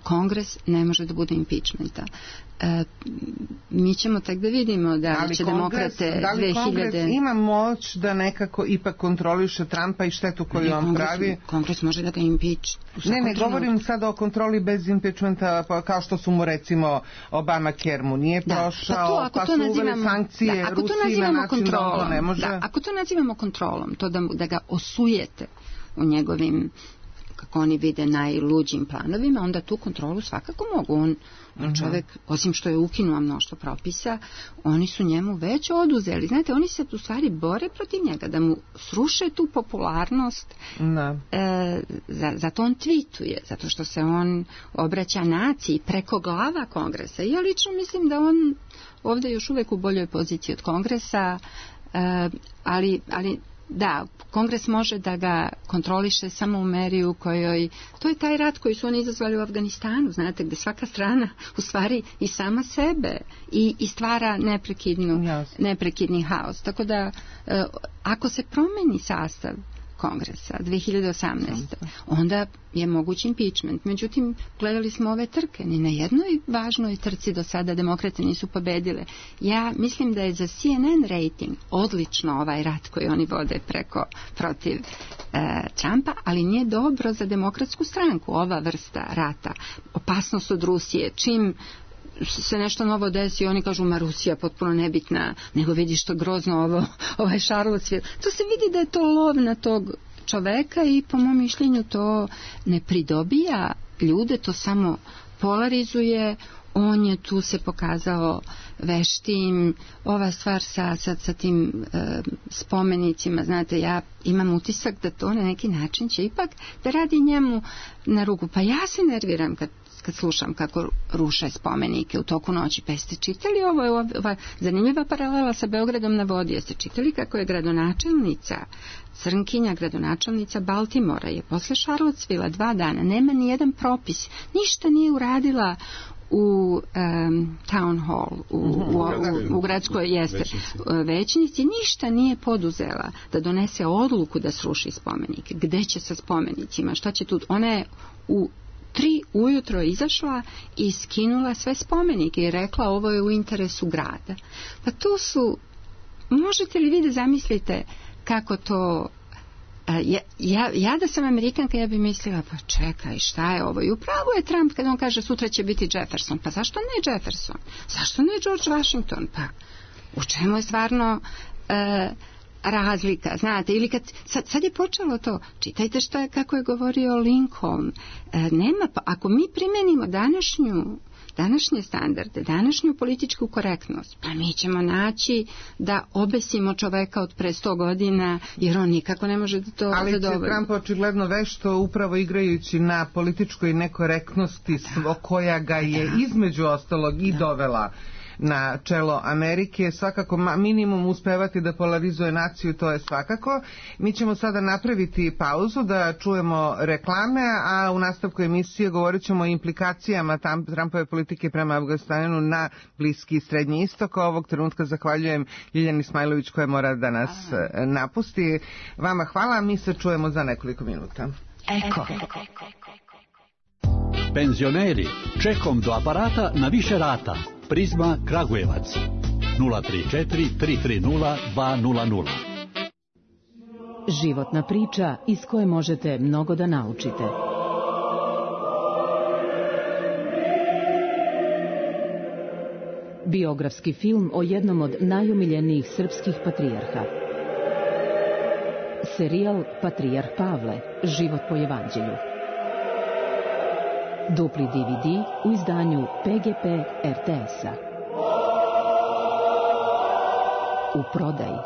Kongres ne može da bude impeachmenta. E, mi ćemo tek da vidimo da ali će kongres, demokrate da li dve hiljade... Kongres ima moć da nekako ipak kontroliše Trumpa i štetu koju on kongres, pravi? Kongres može da ga impeach. Ne, ne, govorim sada o kontroli bez impeachmenta, pa kao što su mu recimo Obamacare mu nije da, prošao, pa, to, ako pa to su nazivamo, uveli sankcije da, ako to Rusiji na način kontrolom, da on to ne može. Da, ako to nazivamo kontrolom, to da, da ga osujete u njegovim, kako oni vide, najluđim planovima, onda tu kontrolu svakako mogu. On, on čovjek, osim što je ukinuo mnoštvo propisa, oni su njemu već oduzeli. Znate, oni se u stvari bore protiv njega, da mu sruše tu popularnost. Da. E, za, zato on tweetuje, zato što se on obraća naciji preko glava Kongresa. I ja lično mislim da on ovdje još uvijek u boljoj poziciji od Kongresa, e, ali, ali da, Kongres može da ga kontroliše samo u meri u kojoj, to je taj rat koji su oni izazvali u Afganistanu, znate, gdje svaka strana u stvari i sama sebe i, i stvara neprekidnu, neprekidni haos. Tako da, eh, ako se promeni sastav Kongresa dve hiljade osamnaeste. onda je moguć impeachment. Međutim, gledali smo ove trke. Ni na jednoj važnoj trci do sada demokrate nisu pobedile. Ja mislim da je za C N N rating odlično ovaj rat koji oni vode preko protiv e, Trumpa, ali nije dobro za demokratsku stranku ova vrsta rata. Opasnost od Rusije. Čim se nešto novo desi, oni kažu, ma Rusija potpuno nebitna, nego vidi što grozno ovo, ovaj Charlottesville. To se vidi da je to lov na tog čoveka i po mom mišljenju to ne pridobija ljude, to samo polarizuje. On je tu se pokazao veštim. Ova stvar sa, sa, sa tim e, spomenicima, znate, ja imam utisak da to na neki način će ipak da radi njemu na ruku. Pa ja se nerviram kad kad slušam kako ruše spomenike u toku noći. Pa jeste čitali ovo, je ova zanimljiva paralela sa Beogradom na vodi. Jeste čitali kako je gradonačelnica, Crnkinja, gradonačelnica Baltimora, je posle Charlottesville dva dana, nema ni jedan propis, ništa nije uradila u um, town hall, u, u, u, u gradskoj jeste većnici, ništa nije poduzela da donese odluku da sruši spomenike. Gde će sa spomenicima? Šta će tu? Ona je u tri ujutro izašla i skinula sve spomenike i rekla ovo je u interesu grada. Pa to su, možete li vi da zamislite kako to, ja, ja, ja da sam Amerikanka ja bi mislila, pa čekaj, šta je ovo? I upravo je Trump kad on kaže sutra će biti Jefferson. Pa zašto ne Jefferson? Zašto ne George Washington? Pa u čemu je stvarno e, razlika, znate, ili kad sad, sad je počelo to, čitajte što je, kako je govorio Lincoln, e, nema, pa ako mi primenimo današnju današnje standarde, današnju političku korektnost, pa mi ćemo naći da obesimo čoveka od pre sto godina, jer on nikako ne može da to zadovolji. Ali će Trump očigledno vešto upravo igrajući na političkoj nekorektnosti svo, koja ga je između ostalog i dovela na čelo Amerike, svakako minimum uspevati da polarizuje naciju, to je svakako. Mi ćemo sada napraviti pauzu da čujemo reklame, a u nastavku emisije govorit ćemo o implikacijama Trumpove politike prema Afganistanu na Bliski i Srednji istok. Ovog trenutka zahvaljujem Ljiljani Smajlović koja mora da nas napusti. Vama hvala, mi se čujemo za nekoliko minuta. Eko. Penzioneri, čekom do aparata na više rata. Prizma Kragujevac nula tri četiri tri tri nula dva nula nula. Životna priča iz koje možete mnogo da naučite. Biografski film o jednom od najomiljenijih srpskih patrijarha. Serijal Patrijarh Pavle, život po evanđelju. Dupli D V D u izdanju P G P R T S-a. U prodaji.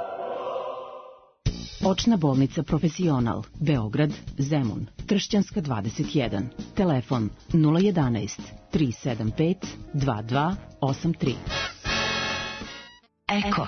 Očna bolnica Profesional, Beograd, Zemun, Tršćanska dvadeset jedan. Telefon nula jedanaest tri sedam pet dva dva osam tri. Eko.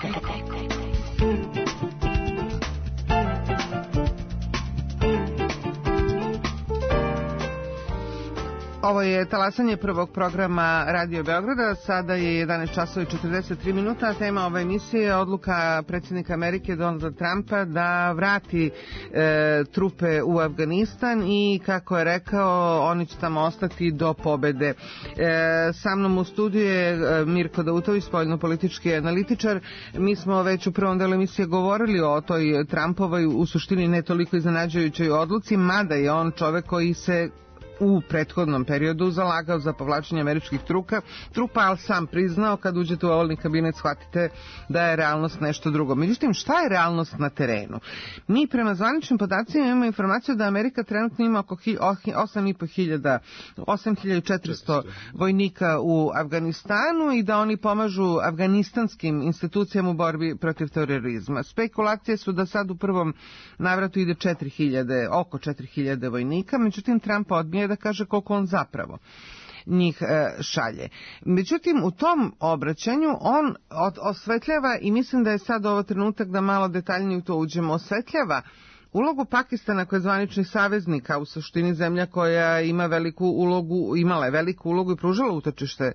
Ovo je talasanje prvog programa Radio Beograda. Sada je jedanaest časova i četrdeset tri minuta. Tema ove emisije je odluka predsjednika Amerike Donalda Trumpa da vrati e, trupe u Afganistan i, kako je rekao, oni će tamo ostati do pobede. E, sa mnom u studiju je Mirko Dautović, spoljnopolitički analitičar. Mi smo već u prvom delu emisije govorili o toj Trumpovoj, u suštini ne toliko iznenađujućoj odluci, mada je on čovek koji se u prethodnom periodu zalagao za povlačenje američkih truka, trupa, ali sam priznao kad uđete u ovalni kabinet shvatite da je realnost nešto drugo. Međutim, šta je realnost na terenu? Mi prema zvaničnim podacima imamo informaciju da Amerika trenutno ima oko osam i po hiljada, osam hiljada četiristo vojnika u Afganistanu i da oni pomažu afganistanskim institucijama u borbi protiv terorizma. Spekulacije su da sad u prvom navratu ide četiri hiljade, oko četiri hiljade vojnika, međutim Trump odbija da kaže koliko on zapravo njih e, šalje. Međutim, u tom obraćanju on od, osvetljava, i mislim da je sad ovo trenutak da malo detaljnije u to uđemo, osvetljava ulogu Pakistana koja je zvanični saveznik, a u suštini zemlja koja ima veliku ulogu, imala je veliku ulogu i pružala utočište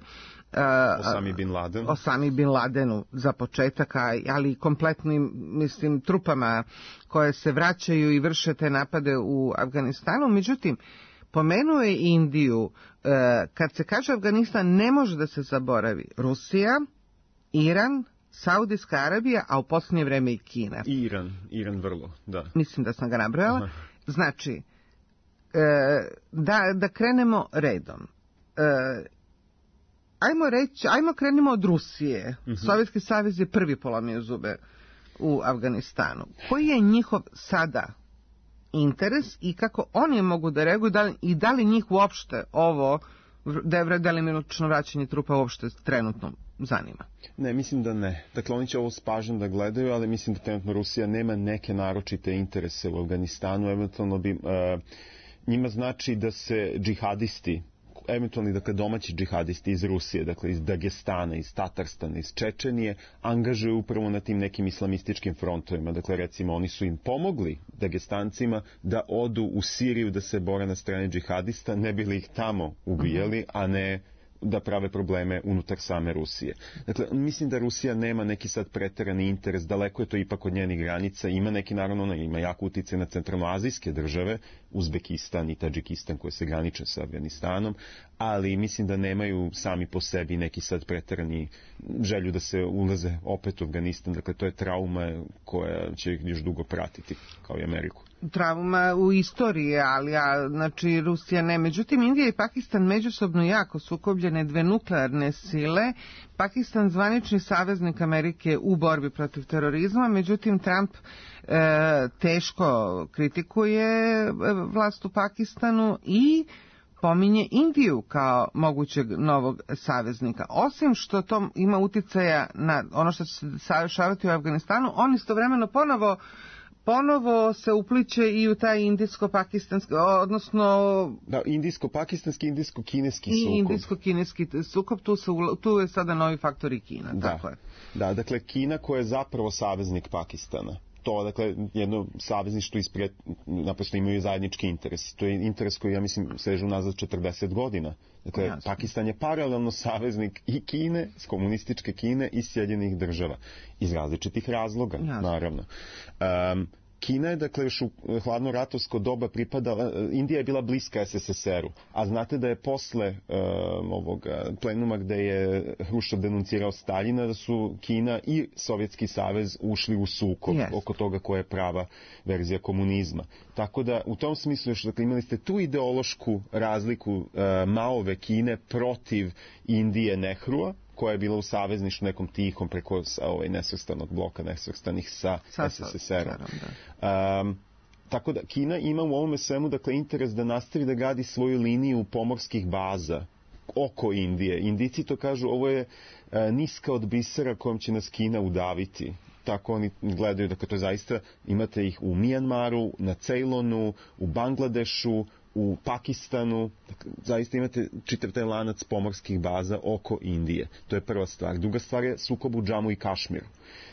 Uh, Osami bin Laden. Osami bin Ladenu za početak, ali i kompletnim, mislim, trupama koje se vraćaju i vrše te napade u Afganistanu. Međutim, pomenuo je Indiju. Uh, kad se kaže Afganistan, ne može da se zaboravi Rusija, Iran, Saudijska Arabija, a u posljednje vreme i Kina. Iran, Iran vrlo, da. Mislim da sam ga nabrojala. Znači, uh, da, da krenemo redom. Uh, Ajmo reći, ajmo krenimo od Rusije. Mm-hmm. Sovjetski savez je prvi polomio zube u Afganistanu. Koji je njihov sada interes i kako oni mogu da reaguju da li, i da li njih uopšte ovo delimično vraćanje trupa uopšte trenutno zanima? Ne, mislim da ne. Dakle, oni će ovo s pažnjom da gledaju, ali mislim da trenutno Rusija nema neke naročite interese u Afganistanu. Eventualno bi, uh, njima znači da se džihadisti, eventualni, dakle, domaći džihadisti iz Rusije, dakle iz Dagestana, iz Tatarstana, iz Čečenije, angažuju upravo na tim nekim islamističkim frontovima. Dakle, recimo, oni su im pomogli, Dagestancima, da odu u Siriju da se bore na strani džihadista, ne bili ih tamo ubijali, a ne da prave probleme unutar same Rusije. Dakle, mislim da Rusija nema neki sad preterani interes, daleko je to ipak od njenih granica, ima neki, naravno, ona ima jako utjecaj na centralnoazijske države, Uzbekistan i Tadžikistan koje se graniče sa Afganistanom, ali mislim da nemaju sami po sebi neki sad preterani želju da se ulaze opet u Afganistan. Dakle, to je trauma koja će ih još dugo pratiti, kao i Ameriku. Trauma u istoriji, ali ja, znači Rusija ne. Međutim, Indija i Pakistan međusobno jako sukobljene, dve nuklearne sile. Pakistan zvanični saveznik Amerike u borbi protiv terorizma, međutim Trump e, teško kritikuje vlast u Pakistanu i pominje Indiju kao mogućeg novog saveznika. Osim što to ima uticaja na ono što će se dešavati u Afganistanu, on istovremeno ponovo ponovo se upliče i u taj indijsko-pakistanski, odnosno... Da, indijsko-pakistanski, indijsko-kineski sukob. I indijsko-kineski sukob, tu, se, tu je sada novi faktor i Kina, da, tako je. Da, dakle, Kina koja je zapravo saveznik Pakistana. To, dakle, jedno savezništvo ispred, naprosto imaju zajednički interes. To je interes koji, ja mislim, sežu nazad četrdeset godina. Dakle, jasno. Pakistan je paralelno saveznik i Kine, s komunističke Kine i Sjedinjenih država. Iz različitih razloga, jasno. Naravno. Um, Kina je, dakle, još u hladno ratovsko doba pripadala, Indija je bila bliska es es es er-u, a znate da je posle um, ovoga plenuma gde je Hruščov denuncirao Staljina, da su Kina i Sovjetski savez ušli u sukob yes. oko toga koja je prava verzija komunizma. Tako da, u tom smislu još, dakle, imali ste tu ideološku razliku uh, Maove Kine protiv Indije Nehrua, koja je bila u savezništvu nekom tihom preko ovaj, nesvrstanog bloka, nesvrstanih sa, sa es es es er-om. Um, tako da Kina ima u ovome svemu, dakle, interes da nastavi da gradi svoju liniju pomorskih baza oko Indije. Indijci to kažu, ovo je uh, niska od bisera kojom će nas Kina udaviti. Tako oni gledaju, dakle, to je zaista, imate ih u Mijanmaru, na Ceylonu, u Bangladešu, u Pakistanu, dakle, zaista imate čitav taj lanac pomorskih baza oko Indije. To je prva stvar. Druga stvar je sukob u Džamu i Kašmiru.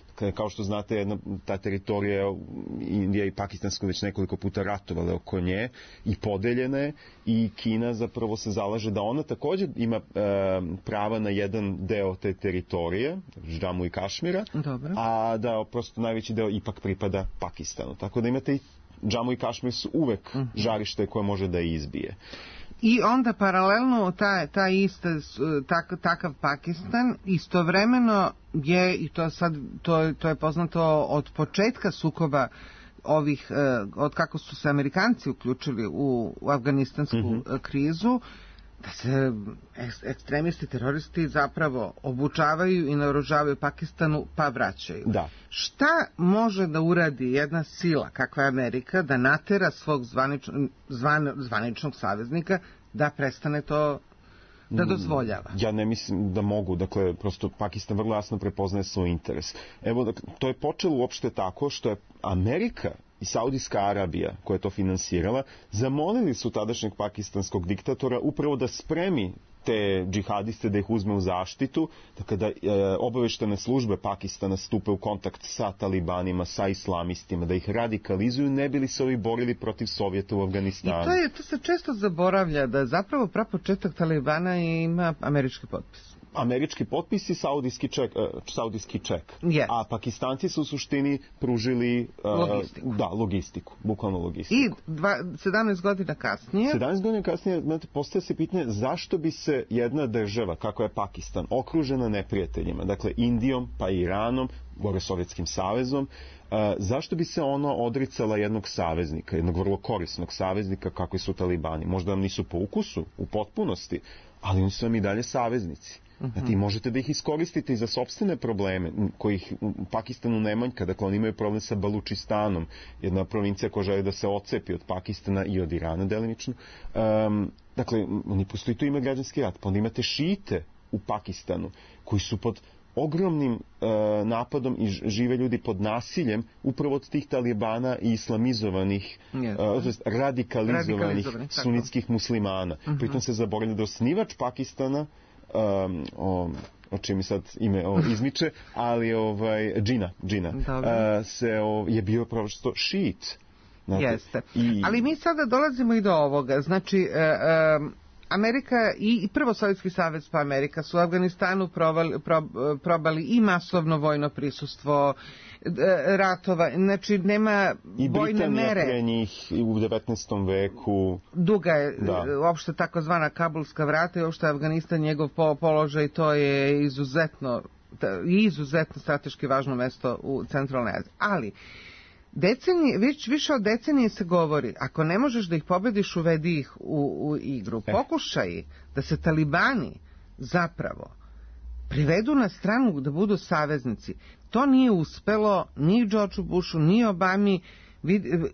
Dakle, kao što znate, jedna, ta teritorija Indija i Pakistansko već nekoliko puta ratovale oko nje i podeljene je, i Kina zapravo se zalaže da ona također ima e, prava na jedan deo te teritorije, Džamu i Kašmira, Dobro. a da prosto najveći deo ipak pripada Pakistanu. Tako da imate i Džamu i Kašmir su uvek uh-huh. žarište koje može da izbije. I onda paralelno taj, taj iste, tak, takav Pakistan istovremeno je, i to sad to, to je poznato od početka sukoba ovih, od kako su se Amerikanci uključili u, u afganistansku mm-hmm. krizu, da se ekstremisti, teroristi zapravo obučavaju i naoružavaju Pakistanu pa vraćaju. Da. Šta može da uradi jedna sila kakva je Amerika da natera svog zvanič, zvan, zvaničnog saveznika da prestane to da dozvoljava? Ja ne mislim da mogu, dakle, prosto Pakistan vrlo jasno prepoznaje svoj interes. Evo, dakle, to je počelo uopšte tako što je Amerika i Saudijska Arabija, koja je to finansirala, zamolili su tadašnjeg pakistanskog diktatora upravo da spremi te džihadiste, da ih uzme u zaštitu, da kada e, obaveštene službe Pakistana stupe u kontakt sa talibanima, sa islamistima, da ih radikalizuju, ne bili se ovi borili protiv Sovjeta u Afganistanu. I to, je, to se često zaboravlja, da zapravo prapočetak Talibana ima američki potpis. Američki potpis i saudijski ček, saudijski ček. Yes. A Pakistanci su u suštini pružili logistiku. Uh, da, logistiku, bukvalno logistiku. I dva, sedamnaest godina kasnije... sedamnaest godina kasnije, znate, postaje se pitanje zašto bi se jedna država, kako je Pakistan, okružena neprijateljima, dakle Indijom, pa i Iranom, gore Sovjetskim savezom, uh, zašto bi se ona odricala jednog saveznika, jednog vrlo korisnog saveznika, kakvi su Talibani? Možda vam nisu po ukusu, u potpunosti, ali oni su vam i dalje saveznici. Znači, možete da ih iskoristite i za sopstvene probleme, kojih u Pakistanu ne manjka. Dakle, oni imaju problem sa Balučistanom, jedna provincija koja želi da se ocepi od Pakistana i od Irana delimično. Um, dakle, oni postoji tu ima građanski rat. Pa onda imate šite u Pakistanu, koji su pod ogromnim uh, napadom i žive ljudi pod nasiljem upravo od tih talibana i islamizovanih, yes. uh, to jest radikalizovanih, radikalizovanih sunitskih muslimana. Uh-huh. Pritom se zaboravlja da osnivač Pakistana, Um, o, o čim mi sad ime o, izmiče, ali ovaj, Džina, Džina uh, se, o, je bio prosto šit. Znate, jeste. I... Ali mi sada dolazimo i do ovoga. Znači, uh, um, Amerika i, i prvo Sovjetski savez pa Amerika su u Afganistanu probali, prob, probali i masovno vojno prisustvo, ratova, znači nema i vojne mere. I Britanija pre njih u devetnaestom veku. Duga je da. uopšte takozvana Kabulska vrata i uopšte Afganistan, njegov položaj, to je izuzetno, izuzetno strateški važno mesto u centralnoj Aziji. Ali, decenije, već više od decenije se govori, ako ne možeš da ih pobediš, uvedi ih u, u igru. Pokušaj da se talibani zapravo privedu na stranu da budu saveznici. To nije uspelo ni Georgeu Bushu, ni Obami.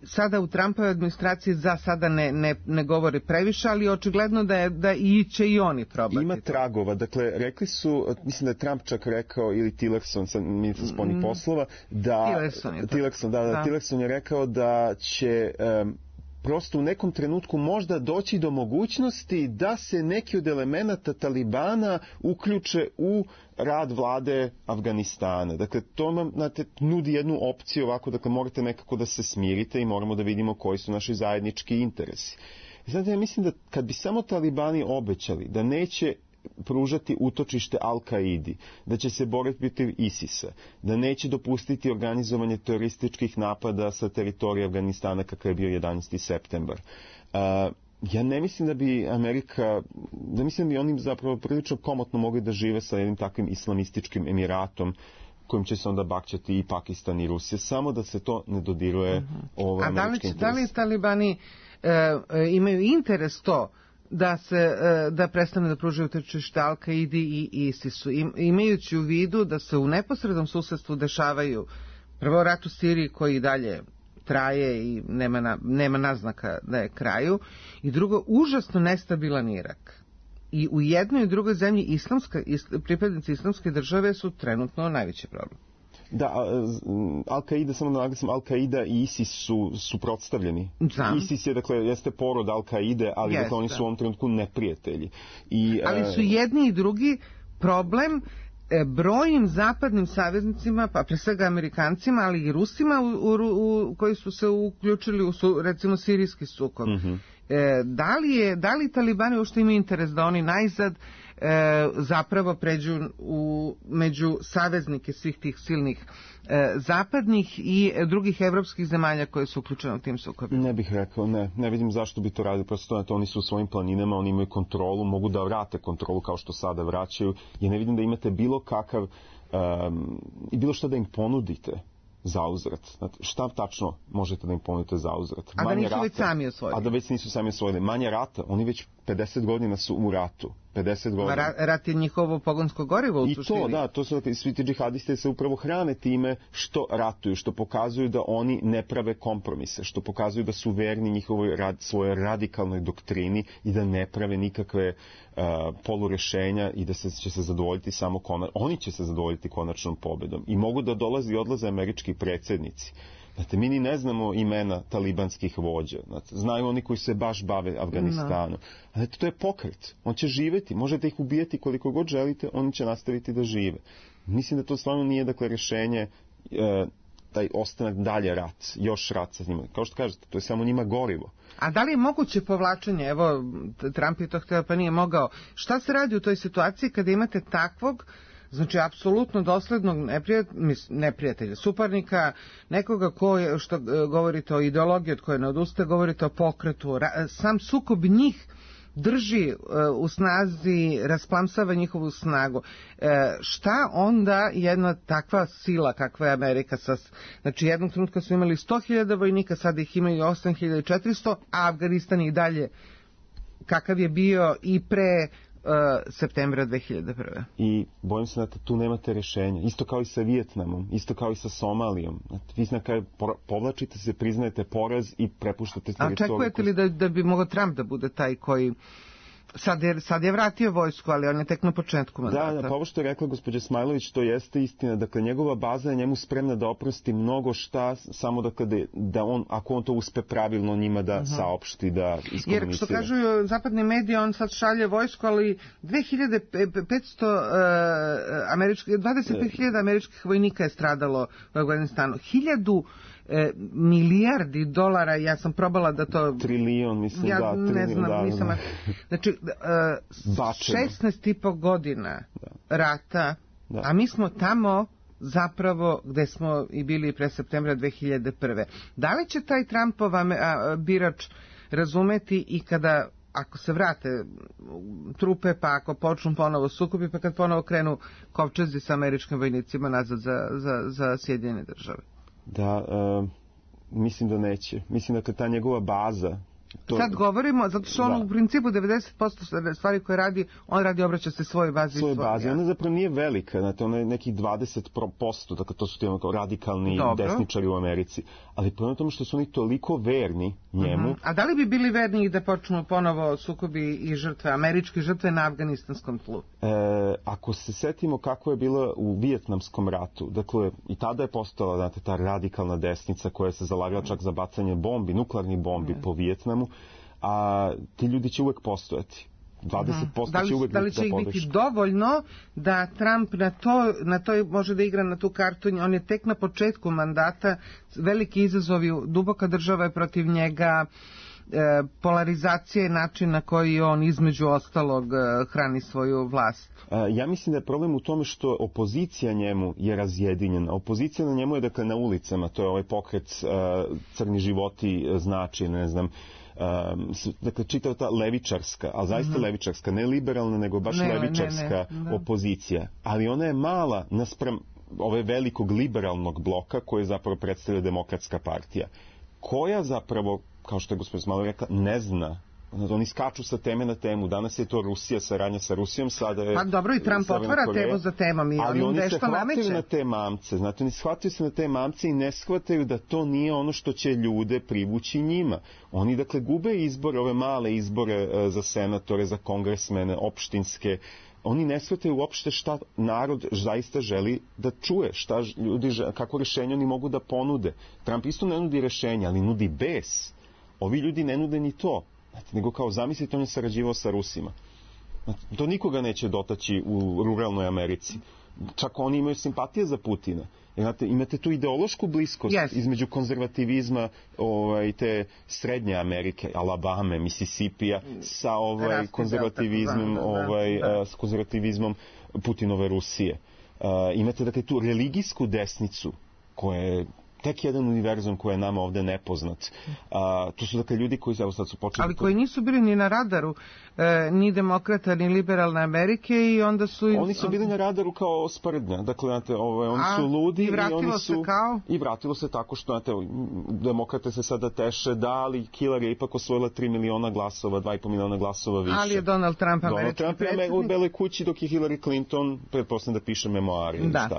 Sada u Trumpovoj administraciji za sada ne, ne, ne govori previše, ali očigledno da, je, da i će i oni probati. Ima tragova, dakle, rekli su, mislim da je Trump čak rekao, ili Tillerson, ministar spoljnih poslova, da... Tillerson je, Tillerson, da, da, da. Tillerson je rekao da će... Um, prosto u nekom trenutku možda doći do mogućnosti da se neki od elemenata Talibana uključe u rad vlade Afganistana. Dakle, to nam, znate, nudi jednu opciju ovako, dakle, morate nekako da se smirite i moramo da vidimo koji su naši zajednički interesi. Znate, ja mislim da kad bi samo Talibani obećali da neće pružati utočište Al-Kaidi, da će se boriti protiv ISIS-a, da neće dopustiti organizovanje terorističkih napada sa teritorije Afganistana kakav je bio jedanaesti septembar. Uh, ja ne mislim da bi Amerika, da mislim da bi oni zapravo prilično komotno mogli da žive sa jednim takvim islamističkim emiratom kojim će se onda bakćati i Pakistan i Rusija, samo da se to ne dodiruje uh-huh. ovaj američki interes. A da li, da li Talibani e, e, imaju interes to da se da prestane da pružaju utočište Al-Kaidi i ISIS-u, imajući u vidu da se u neposrednom susedstvu dešavaju prvo rat u Siriji koji dalje traje i nema, na, nema naznaka da je kraju, i drugo užasno nestabilan Irak. I u jednoj i drugoj zemlji islamska, is, pripadnici islamske države su trenutno najveći problem. Da, Al-Qaida, samo da naglasim, Al-Qaida i ISIS su suprotstavljeni. Znam. ISIS je, dakle, jeste porod Al-Qaide, ali dakle, oni su u ovom trenutku neprijatelji. I, ali su jedni i drugi problem brojim zapadnim saveznicima, pa pre svega Amerikancima, ali i Rusima u, u, u, koji su se uključili u su, recimo sirijski sukob. Mm-hmm. E, da li je, da li Talibani uopšte imaju interes da oni najzad e, zapravo pređu u, među saveznike svih tih silnih e, zapadnih i drugih evropskih zemalja koje su uključene u tim sukobima? Ne bih rekao, ne. Ne vidim zašto bi to radili. Prosto na to oni su u svojim planinama, oni imaju kontrolu, mogu da vrate kontrolu kao što sada vraćaju. Ja ne vidim da imate bilo kakav um, i bilo šta da im ponudite za uzvrat. Šta tačno možete da im ponudite za uzvrat? A da nisu rata, već sami osvojili. A da već nisu sami osvojili. Manje rata, oni već pedeset godina su u ratu. pedeset godina. Ra, rat je njihovo pogonsko gorivo u I suštini. to, da, to su svi ti džihadisti se upravo hrane time što ratuju, što pokazuju da oni ne prave kompromise, što pokazuju da su verni njihovoj rad, svojoj radikalnoj doktrini i da ne prave nikakve uh, polurešenja i da se, će se zadovoljiti samo konačno. Oni će se zadovoljiti konačnom pobedom. I mogu da dolazi i odlaze američki predsjednici. Znate, mi ni ne znamo imena talibanskih vođa. Znate, znaju oni koji se baš bave Afganistanom. No. Znate, to je pokret. On će živjeti. Možete ih ubijati koliko god želite, oni će nastaviti da žive. Mislim da to stvarno nije, dakle, rešenje e, taj ostanak dalje rat, još rat sa njima. Kao što kažete, to je samo njima gorivo. A da li je moguće povlačenje? Evo, Trump je to hteo pa nije mogao. Šta se radi u toj situaciji kada imate takvog, znači apsolutno doslednog neprijatelja, suparnika, nekoga ko je, što govorite o ideologiji od koje ne odustaje, govorite o pokretu, sam sukob njih drži u snazi, rasplamsava njihovu snagu. E, šta onda jedna takva sila kakva je Amerika, sa, znači jednog trenutka su imali sto hiljada vojnika, sad ih imaju osam hiljada četiristo, a Afganistan i dalje kakav je bio i pre Uh, septembra dve hiljade prve. I bojim se da tu nemate rešenja. Isto kao i sa Vijetnamom, isto kao i sa Somalijom. Vi na kraju povlačite se, priznajete poraz i prepuštate teritoriju. A očekujete li da, da bi mogao Trump da bude taj koji Sad je, sad je vratio vojsku, ali on je tek na početku mandata. Da, da, pa ovo što je rekla gospođa Smajlović, to jeste istina. Dakle, njegova baza je njemu spremna da oprosti mnogo šta, samo dakle, da, da on, ako on to uspe pravilno njima da uh-huh. saopšti, da iskomunicira. Jer što kažu zapadni mediji, on sad šalje vojsku, ali dve hiljade petsto uh, američkih, dvadeset pet hiljada američkih vojnika je stradalo u Afganistanu. Hiljadu E, milijardi dolara, ja sam probala da to... Trilion, mislim, ja da. Ja ne znam, da, nisam... da. Znači, e, šesnaest i po godina da. rata, da. a mi smo tamo zapravo gde smo i bili pre septembra dve hiljade prve. Da li će taj Trumpov a, a, birač razumeti i kada, ako se vrate trupe, pa ako počnu ponovo sukobi, pa kad ponovo krenu kovčezi sa američkim vojnicima nazad za, za, za Sjedinjene države? Da, uh, mislim da neće. Mislim da ta njegova baza... To... Sad govorimo, zato što on da. u principu devedeset posto stvari koje radi, on radi obraća se svojoj bazi. Svojoj bazi, ona zapravo nije velika, znate, ona je nekih dvadeset posto, dakle to su ti kao radikalni Dobro. desničari u Americi. Ali po tome što su oni toliko verni njemu... Uh-huh. A da li bi bili verni da počnu ponovo sukobi i žrtve, američke žrtve na afganistanskom tlu? E, ako se setimo kako je bila u Vijetnamskom ratu, dakle i tada je postala, znate, ta radikalna desnica koja se zalagala čak za bacanje bombi, nuklearnih bombi uh-huh. po Vijetnamu, a ti ljudi će uvek postojati. dvadeset posto da li, će uvek da li će ih biti dovoljno da Trump na to, na to može da igra na tu kartu? On je tek na početku mandata, veliki izazovi, duboka država je protiv njega, e, polarizacija je način na koji on između ostalog hrani svoju vlast. Ja mislim da je problem u tome što opozicija njemu je razjedinjena. Opozicija na njemu je dakle na ulicama, to je ovaj pokret uh, crni životi znači, ne znam, um, dakle čitava ta levičarska, ali zaista mm-hmm. levičarska, ne liberalna, nego baš ne, levičarska ne, ne, opozicija. Ali ona je mala naspram ove velikog liberalnog bloka koje zapravo predstavlja Demokratska partija, koja zapravo, kao što je gospodin Smalo rekla, ne zna. Oni skaču sa teme na temu. Danas je to Rusija, saradnja sa Rusijom, sada je... Pa dobro, i Trump otvara temu za temom i ali oni se hvataju na te mamce. Znate, oni shvataju se na te mamce i ne shvataju da to nije ono što će ljude privući njima. Oni, dakle, gube izbore, ove male izbore za senatore, za kongresmene, opštinske, oni ne shvataju uopšte šta narod zaista želi da čuje, šta ljudi, kako rešenje oni mogu da ponude. Trump isto ne nudi rešenja, ali nudi bes. Ovi ljudi ne nude ni to. Znate, nego kao zamislite, on je sarađivao sa Rusima. Znate, to nikoga neće dotaći u ruralnoj Americi. Čak oni imaju simpatije za Putina. Znate, imate tu ideološku bliskost yes. između konzervativizma ovaj, te srednje Amerike, Alabame, Mississipija, sa ovaj, konzervativizmom, ovaj, da. s konzervativizmom Putinove Rusije. Uh, imate dakle tu religijsku desnicu koja je tek jedan univerzum koji je nama ovde nepoznat. A, to su dakle ljudi koji evo sad su počeli... Ali koji nisu bili ni na radaru, e, ni demokrata, ni liberalne Amerike i onda su... Oni su bili na radaru kao sprdnja. Dakle, znate, ove, oni A, su ludi i, vratilo i oni su... se kao? I vratilo se tako što, znate, demokrate se sada teše, da, ali Hillary je ipak osvojila tri miliona glasova, dva i po miliona glasova više. Ali je Donald Trump američki Donald Trump je u Beloj kući, dok je Hillary Clinton, pretpostavljam da piše memoari. Da.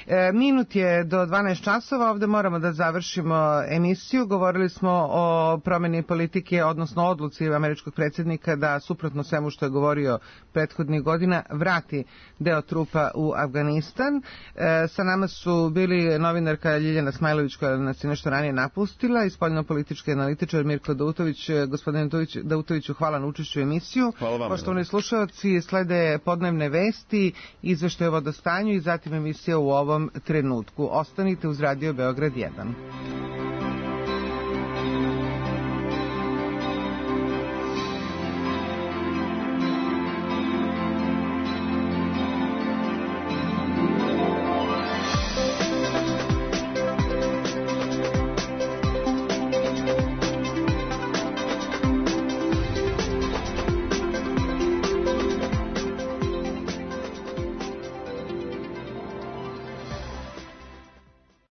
E, minut je do dvanaest časova, ovde moramo da završimo emisiju. Govorili smo o promeni politike, odnosno odluci američkog predsjednika da suprotno svemu što je govorio prethodnih godina vrati deo trupa u Afganistan. E, sa nama su bili novinarka Ljiljana Smajlović koja nas je nešto ranije napustila i spoljno-politički analitičar Mirko Dautović. Gospodine Dautoviću, hvala na učešću u emisiju. Hvala vam. Poštovani slušalci, slede podnevne vesti, izveštaj o vodostanju i zatim emisija u ovom trenutku. Ostanite uz Radio Beograd jedan.